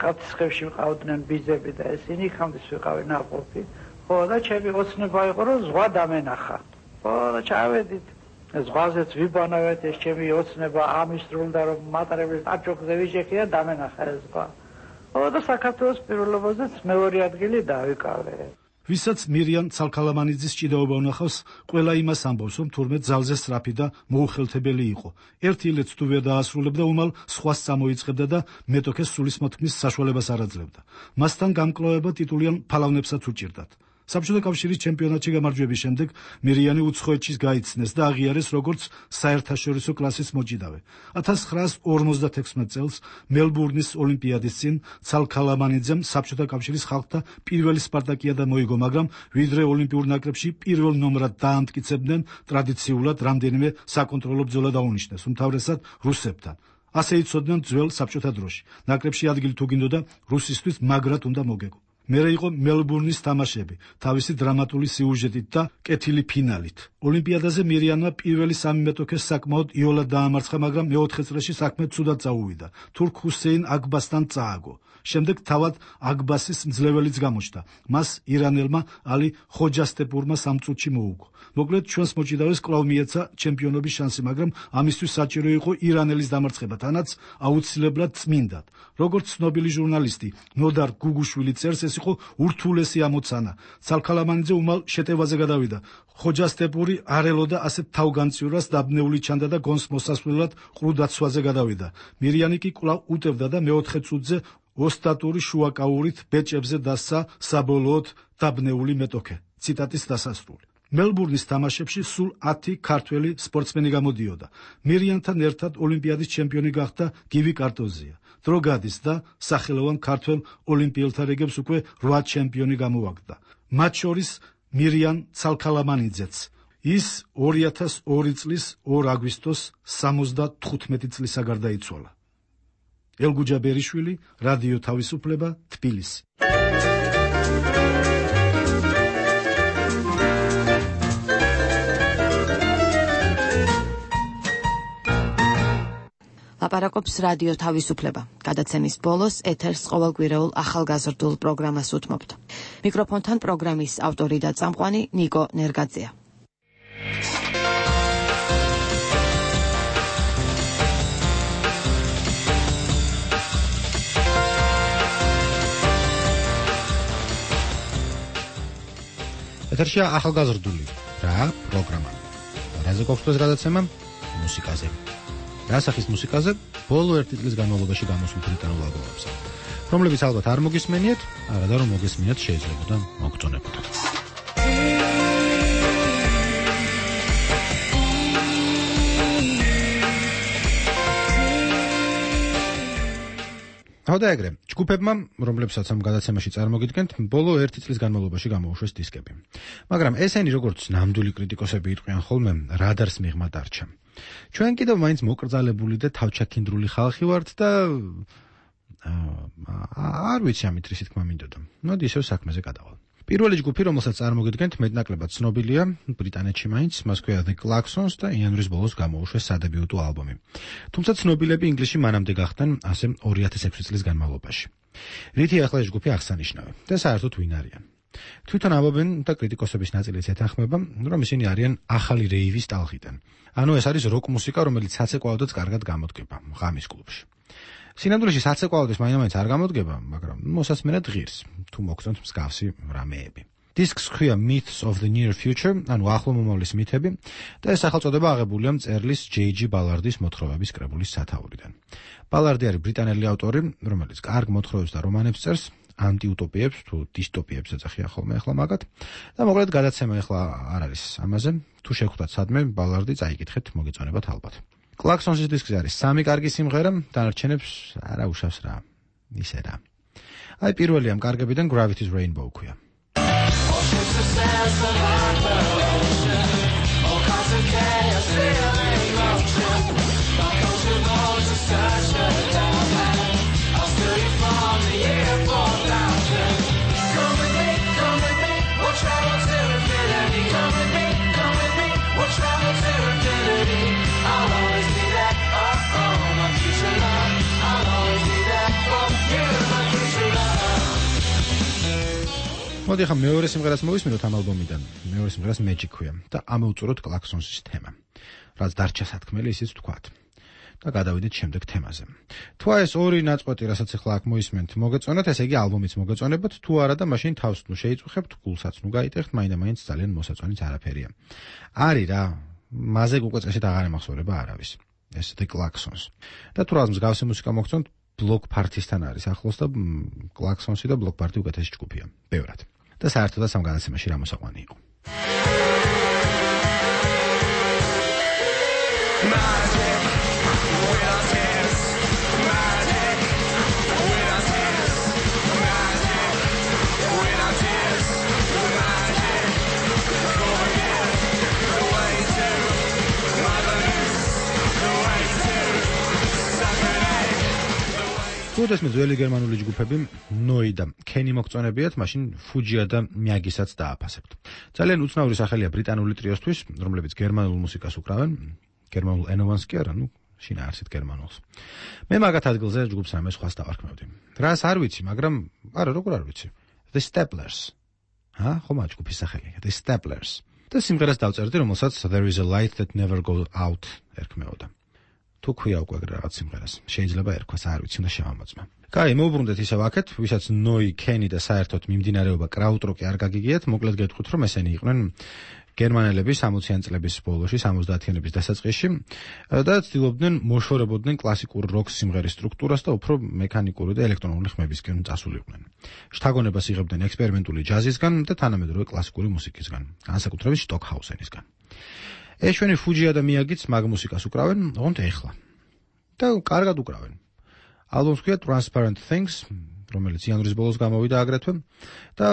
კაფთისხებში ვიყავდნენ ბიძები და ესენი იქამდე ვიყავი ნაყოფი. ხო და ჩემი ოცნება იყო, რომ ზღვა დამენახა. ხო და ჩავედით ზღვაზეც ვიბანავეთ, ეს ჩემი ოცნება ამისრულდა, რომ მატარებლის აჭოქზე ვიჭექი და დამენახა ეს ზღვა. ხო და საქართველოს პირველობაზეც მეორე ადგილი დავიკავე. ვისაც მირიან ცალქალამანიძის ჭიდაობა უნახავს, ყველა იმას ამბობს, რომ თურმე ძალზე სწრაფი და მოუხელთებელი იყო. ერთი ილეთს თუ ვერ დაასრულებდა, უმალ სხვას წამოიწყებდა და მეტოქეს სულისმოთქმის საშუალებას არ აძლევდა. მასთან გამკლავება ტიტულიან ფალავნებსაც უჭირდათ. საბჭოთა კავშირის ჩემპიონატში გამარჯვების შემდეგ მირიანი უცხოეთში გაიცნეს და აღიარეს როგორც საერთაშორისო კლასის მოჭიდავე. ათას ცხრაასი ორმოცდათექვსმეტ წელს მელბურნის ოლიმპიადის წინ ცალქალამანიძემ საბჭოთა კავშირის ხალხთა პირველი სპარტაკიადა მოიგო, მაგრამ ვიდრე ოლიმპიურ ნაკრებში პირველ ნომრად დაამტკიცებდნენ, ტრადიციულად რამდენიმე საკონტროლო ბრძოლა დაუნიშნეს, უმთავრესად რუსებთან. ასე იცოდნენ ძველ საბჭოთა დროში. ნაკრებში ადგილი თუ გინდოდა, რუსისთვის მაგრად უნდა მოგეგო. მერე იყო მელბურნის თამაშები, თავისი დრამატული სიუჟეტით და კეთილი ფინალით. ოლიმპიადაზე მირიანმა პირველი სამი მეტოქეს საკმაოდ იოლად დაამარცხა, მაგრამ მეოთხე წრეში საქმე ცუდად წაუვიდა. თურქ ჰუსეინ აკბასთან წააგო. შემდეგ თავად აკბასის მძლეველიც გამოჩნდა. მას ირანელმა ალი ხოჯასტეპურმა სამ წუთში მოუგო. მოკლედ ჩვენს მოჭიდავეს კვლავ მიეცა ჩემპიონობის შანსი, მაგრამ ამისთვის საჭირო იყო ირანელის დამარცხება, თანაც აუცილებლად წმინდად. როგორც ცნობილი ჟურნალისტი ნოდარ გუგუშვილი წერს, ეს იყო ურთულესი ამოცანა. ცალქალამანიძე უმალ შეტევაზე გადავიდა. ხოჯასტეპური არ ელოდა ასეთ თავგანწივრას, დაბნეული ჩანდა და გონს მოსასვლელად ყრუდაცვაზე გადავიდა. მირიანი კი კვლავ უტევდა და მეოთხე წუთზე ოსტატური შუაკაურით ბეჭებზე დასცა საბოლოოდ დაბნეული მეტოქე. ციტატის დასასრული. მელბურნის თამაშებში სულ ათი ქართველი სპორტსმენი გამოდიოდა. მირიანთან ერთად ოლიმპიადის ჩემპიონი გახდა გივი კარტოზია. დრო გადის და სახელოვან ქართველ ოლიმპიელთა რიგებს უკვე რვა ჩემპიონი გამოვაგდა. მათ შორის მირიან ცალქალამანიძეც. ის ორი ათას ორი წლის ორ აგვისტოს სამოცდათხუთმეტი წლისა გარდაიცვალა. ელგუჯა ბერიშვილი, რადიო თავისუფლება, თბილისი. ლაპარაკობს რადიო თავისუფლება. გადაცემის ბოლოს ეთერს ყოველკვირეულ ახალგაზრდულ პროგრამას უთმობთ. მიკროფონთან პროგრამის ავტორი და წამყვანი ნიკო ნერგაძეა. ეთერშია ახალგაზრდული რა პროგრამა. რაზე გვაქვს დღეს გადაცემა? მუსიკაზე. რასახის მუსიკაზე? ბოლო ერთი წლის განმავლობაში გამოსულ ბრიტანულ ალბომებზე, რომლებიც ალბათ არ მოგისმენიათ, არა და რომ მოგესმინათ შეიძლება და მოგწონებოდათ. თავდა ეგრე, ჯგუფებმა, რომლებსაც ამ გადაცემაში წარმოგიდგენთ, ბოლო ერთი წლის განმავლობაში გამოუშვეს დისკები. მაგრამ ესენი როგორც ნამდვილი კრიტიკოსები იტყვიან ხოლმე, რადარს მიღმა დარჩა. ჩვენ კიდევ მაინც მოკრძალებული და თავჩაქინდრული ხალხი ვართ და არ ვიცი ამით რისი თქმა მინდოდა. მოდი ისევ საქმეზე გადავალ. პირველი ჯგუფი, რომელსაც წარმოგიდგენთ, მეტნაკლებად ცნობილია ბრიტანეთში მაინც, მას ქვია The Klaxons და იანვრის ბოლოს გამოუშვეს სადებიუტო ალბომი. თუმცა ცნობილები ინგლისში მანამდე გახდნენ ასე ორი ათას ექვსი წლის განმავლობაში. რითი ახლა ეს ჯგუფი აღსანიშნავი და საერთოდ ვინ არიან? თვითონ ამბობენ და კრიტიკოსების ნაწილიც ეთანხმება, რომ ისინი არიან ახალი რეივის ტალღიდან. ანუ ეს არის როკ მუსიკა, რომელიც საცეკვაოდაც კარგად გამოდგება ღამის კლუბში. სინამდვილეში საცეკვაოდეს მაინც არ გამოდგება, მაგრამ მოსასმენად ღირს, თუ მოგწონთ მსგავსი რამეები. დისკს ქვია Myths of the Near Future, ანუ ახლო მომავლის მითები, და ეს სახელწოდება აღებულია მწერლის ჯეი ჯი ბალარდის მოთხრობების კრებულის სათაურიდან. ბალარდი არის ბრიტანელი ავტორი, რომელიც კარგ მოთხრობებს და რომანებს წერს, ანტიუტოპიებს თუ დისტოპიებს ეძახიან ხოლმე ახლა მაგათ. და მოკლედ გადაცემა ახლა არ არის ამაზე. თუ შეგხვდათ სადმე ბალარდი, წაიკითხეთ, მოგეწონებათ ალბათ. Klaxons-ის დისკზე არის სამი კარგი სიმღერა, დანარჩენებს არა უშავს რა. ისე რა. აი პირველი ამ კარგებიდან Gravity's Rainbow ქვია. მოდი ახლა მეორე სიმღერას მოვისმინოთ ამ ალბომიდან. მეორე სიმღერას Magic ქვია და ამოვწუროთ Klaxons-ის თემა. რაც დარჩა სათქმელი, ისიც ვთქვათ. და გადავიდეთ შემდეგ თემაზე. თუ ეს ორი ნაწყვეტი, რასაც ახლა აქ მოვისმენთ, მოგეწონათ, ესე იგი ალბომიც მოგეწონებათ, თუ არა და მაშინ თავს ნუ შეიწუხებთ, გულსაც ნუ გაიტეხთ, მაინდა-მაინც ძალიან მოსაწონიც არაფერია. არის რა, მასე უკვე წესით აღარ ემახსოვრება არავის. ეს The Klaxons. და თუ რაღაც მსგავსი მუსიკა მოგწონთ, Bloc Party-სთან არის ახლოს და Klaxons-ი და Bloc Party უკეთესი ჯგუფია. ბევრად. და საერთოდაც ამ განაცემაში რა მოსაყვანი იყო. ეს ძველი გერმანული ჯგუფები ნოი და კენი მოგწონებიათ, მაშინ ფუჯია და მიაგისაც დააფასებთ. ძალიან უცნაური სახელია ბრიტანული ტრიოსთვის, რომლებიც გერმანულ მუსიკას უკრავენ, გერმანულ ენოვანს კი არა, ну, შინაარსით გერმანულს. მე მაგათ ადგილზე ჯგუფს რამე სხვას დავარქმევდი. რას არ ვიცი, მაგრამ არა, როგორ არ ვიცი. The Staplers. ჰა, ხომ ამ ჯგუფის სახელია, The Staplers. და სიმღერას დავწერდი, რომელსაც There is a light that never goes out ერქმეოდა. თუ ქვია უკვე რაღაც სიმღერას. შეიძლება ერქვას, არ ვიცი, უნდა შევამოწმე. კაი, მოვუბრუნდეთ ისევ აქეთ, ვისაც ნოი, კენი და საერთოდ მიმდინარეობა კრაუტროკი არ გაგიგიათ, მოკლედ გეტყვით, რომ ესენი იყვნენ გერმანელები სამოციან წლების ბოლოში, სამოცდაათიანების დასაწყისში და ცდილობდნენ მოშორებოდნენ კლასიკურ როკ სიმღერის სტრუქტურას და უფრო მექანიკური და ელექტრონული ხმებისკენ წასულიყვნენ. შთაგონებას იღებდნენ ექსპერიმენტული ჯაზისგან და თანამედროვე კლასიკური მუსიკისგან, განსაკუთრებით სტოკჰაუსენისგან. ეშვენი ფუჯია და მიაგიც მაგ მუსიკას უკრავენ, ოღონდ ეხლა. და კარგად უკრავენ. ალბომს ქვია Transparent Things, რომელიც იანვრის ბოლოს გამოვიდა აგრეთვე და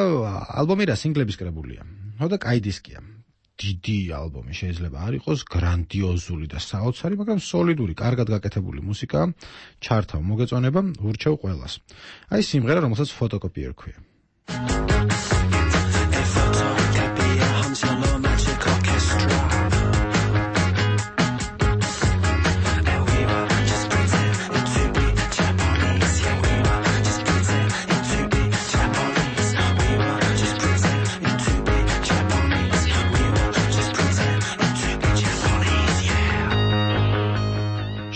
ალბომი რა სინგლების კრებულია. ხო და კაი დისკია. დიდი ალბომი შეიძლება არ იყოს გრანდიოზული და საოცარი, მაგრამ სოლიდური, კარგად გაკეთებული მუსიკა, ჩართავ მოგეწონება, ურჩევ ყველას. აი სიმღერა, რომელსაც Photocopier ქვია.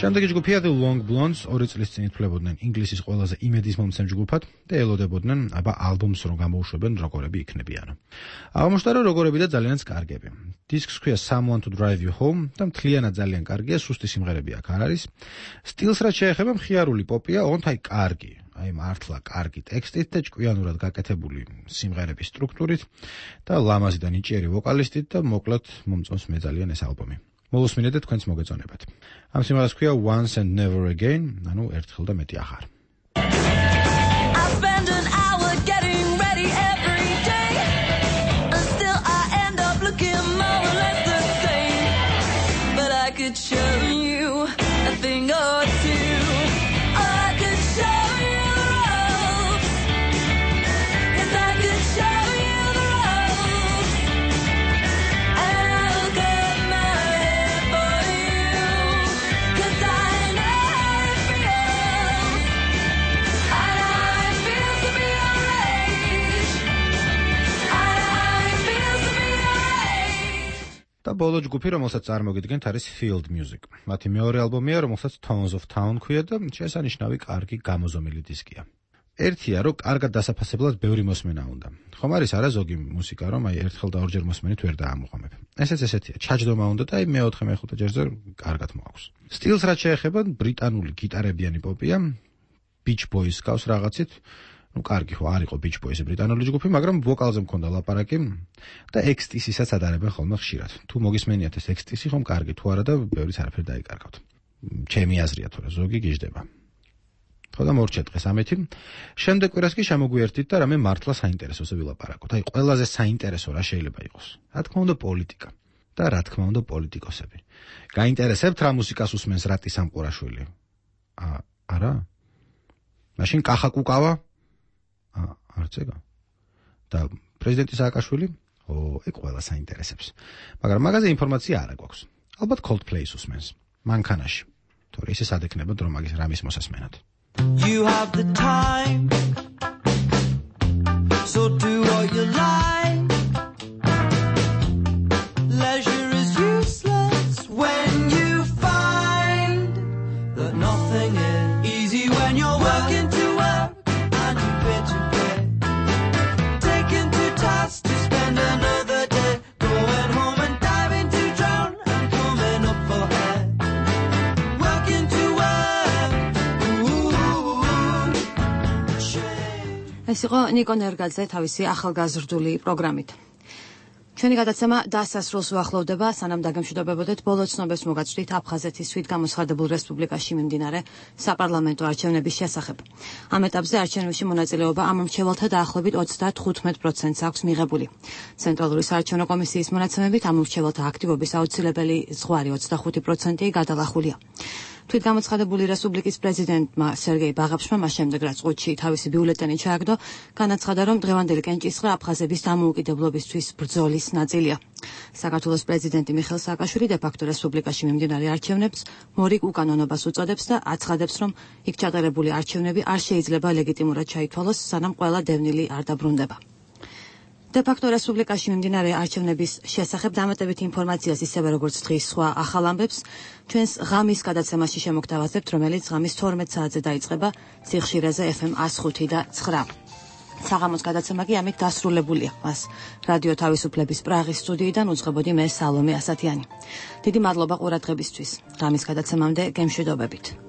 შემდეგი ჯგუფია The Long Blondes, ორი წლის წინ ითვლებოდნენ ინგლისის ყველაზე იმედის მომცემ ჯგუფად და ელოდებოდნენ აბა ალბომს რომ გამოუშვებენ როგორები იქნებიანო. აღმოჩნდა რომ როგორები და ძალიანაც კარგები. დისკს ქვია Someone to Drive You Home და მთლიანად ძალიან კარგია, სუსტი სიმღერები აქ არ არის. სტილს რაც შეეხება მხიარული პოპია, ოღონდ აი კარგი, აი მართლა კარგი ტექსტით და ჭკვიანურად გაკეთებული სიმღერების სტრუქტურით და ლამაზი და ნიჭიერი ვოკალისტით და მოკლედ მომწონს მე ძალიან ეს ალბომი. მოვუსმინეთ თქვენს მოგეწონებათ. ამ სიმღერას ქვია Once and Never Again, ანუ ერთხელ და მეტი აღარ. I spend an hour getting ready every day and still I end up looking more or less the same. But I could show you a thing or two. I could show you the ropes. Yes, I could show you the ropes. And I'll cut my hair for you. Cause I know how it feels. I know how it feels to be your age. I know how it feels to be your age. და ბოლო ჯგუფი, რომელსაც წარმოგიდგენთ, არის Field Music. მათი მეორე ალბომია, რომელსაც Tones of Town ქვია და შესანიშნავი კარგი გამოზომილი დისკია. ერთია, რომ კარგად დასაფასებლად ბევრი მოსმენა უნდა. ხომ არის არა ზოგი მუსიკა, რომ აი ერთხელ და ორჯერ მოსმენით ვერ დაამოყამებ. ესეც ესეთია, ჩაჯდომა უნდა და აი მეოთხე მეხუთე ჯერზე კარგად მოაქვს. სტილს რაც შეეხება, ბრიტანული გიტარებიანი პოპია, Beach Boys გავს რაღაცით. ну კარგი ხო არ იყო Beach Boys ბრიტანული ჯგუფი, მაგრამ ვოკალზე მქონდა ლაპარაკი და ექსტისისაც ადარებენ ხოლმე ხშირად. თუ მოგისმენიათ ეს ექსტისი ხომ კარგი თუ არა და ბევრიც არაფერ დაიკარგავთ. ჩემი აზრია თორე ზოგი გიждდება. ხო და მორჩეთ დღეს ამეთი. შემდეგ კვირას კი შემოგვიერთით და რამე მართლა საინტერესოზე ვილაპარაკოთ. აი ყველაზე საინტერესო რა შეიძლება იყოს. რა თქმა უნდა პოლიტიკა და რა თქმა უნდა პოლიტიკოსები. გაინტერესებთ რა მუსიკას უსმენს რატი სამყურაშვილი? ა არა? მაშინ კახა კუკავა? არ წეგა. და პრეზიდენტი სააკაშვილი? ო, ეგ ყველა საინტერესებს. მაგრამ მაგაზე ინფორმაცია არ აქვს. ალბათ Coldplay-ს უსმენს. მანქანაში. თორე ისე სადექნებოდ რომ მაგის რამის მოსასმენად. You have the time. So do what you like. Leisure is useless when you find that nothing is easy when you're working to work and you pay to pay. Taken to task to spend another day, going home and diving to drown and coming up for air. Working to work. Ooh, ეს იყო ნიკო ნერგაძე თავისი ახალგაზრდული პროგრამით. ჩვენი გადაცემა დასასრულს უახლოვდება, სანამ დაგემშვიდობებოდეთ, ბოლო ცნობებს მოგაცვდით აფხაზეთის თვითგამოცხადებულ რესპუბლიკაში მიმდინარე საპარლამენტო არჩევნების შესახებ. ამ ეტაპზე არჩევნებში მონაწილეობა ამ მრჩეველთა დაახლოებით ოცდათხუთმეტ პროცენტს აქვს მიღებული. ცენტრალური საარჩევნო კომისიის მონაცემებით ამ მრჩეველთა აქტივობის აუცილებელი ზღვარი ოცდახუთი პროცენტი გადალახულია. თვითგამოცხადებული რესპუბლიკის პრეზიდენტმა სერგეი ბაღაფშმა მას შემდეგ რაც ყუთში თავისი ბიულეტენი ჩააგდო, განაცხადა, რომ დღევანდელი კენჭისყრა აფხაზების დამოუკიდებლობისთვის ბრძოლის ნაწილია. საქართველოს პრეზიდენტი მიხეილ სააკაშვილი დე-ფაქტო რესპუბლიკაში მიმდინარე არჩევნებს მორიგ უკანონობას უწოდებს და აცხადებს, რომ იქ ჩატარებული არჩევნები არ შეიძლება ლეგიტიმურად ჩაითვალოს, სანამ ყველა დევნილი არ დაბრუნდება. დე-ფაქტო რესპუბლიკაში მიმდინარე არჩევნების შესახებ დამატებით ინფორმაციას, ისევე როგორც დღის სხვა ახალ ამბებს, ჩვენს ღამის გადაცემაში შემოგთავაზებთ, რომელიც ღამის თორმეტ საათზე დაიწყება სიხშირეზე ეფ ემ εκατო ხუთი და ცხრა. საღამოს გადაცემა კი ამით დასრულებულია. მას რადიო თავისუფლების პრაღის სტუდიიდან უძღვებოდი მე სალომე ასათიანი. დიდი მადლობა ყურადღებისთვის. ღამის გადაცემამდე გემშვიდობებით.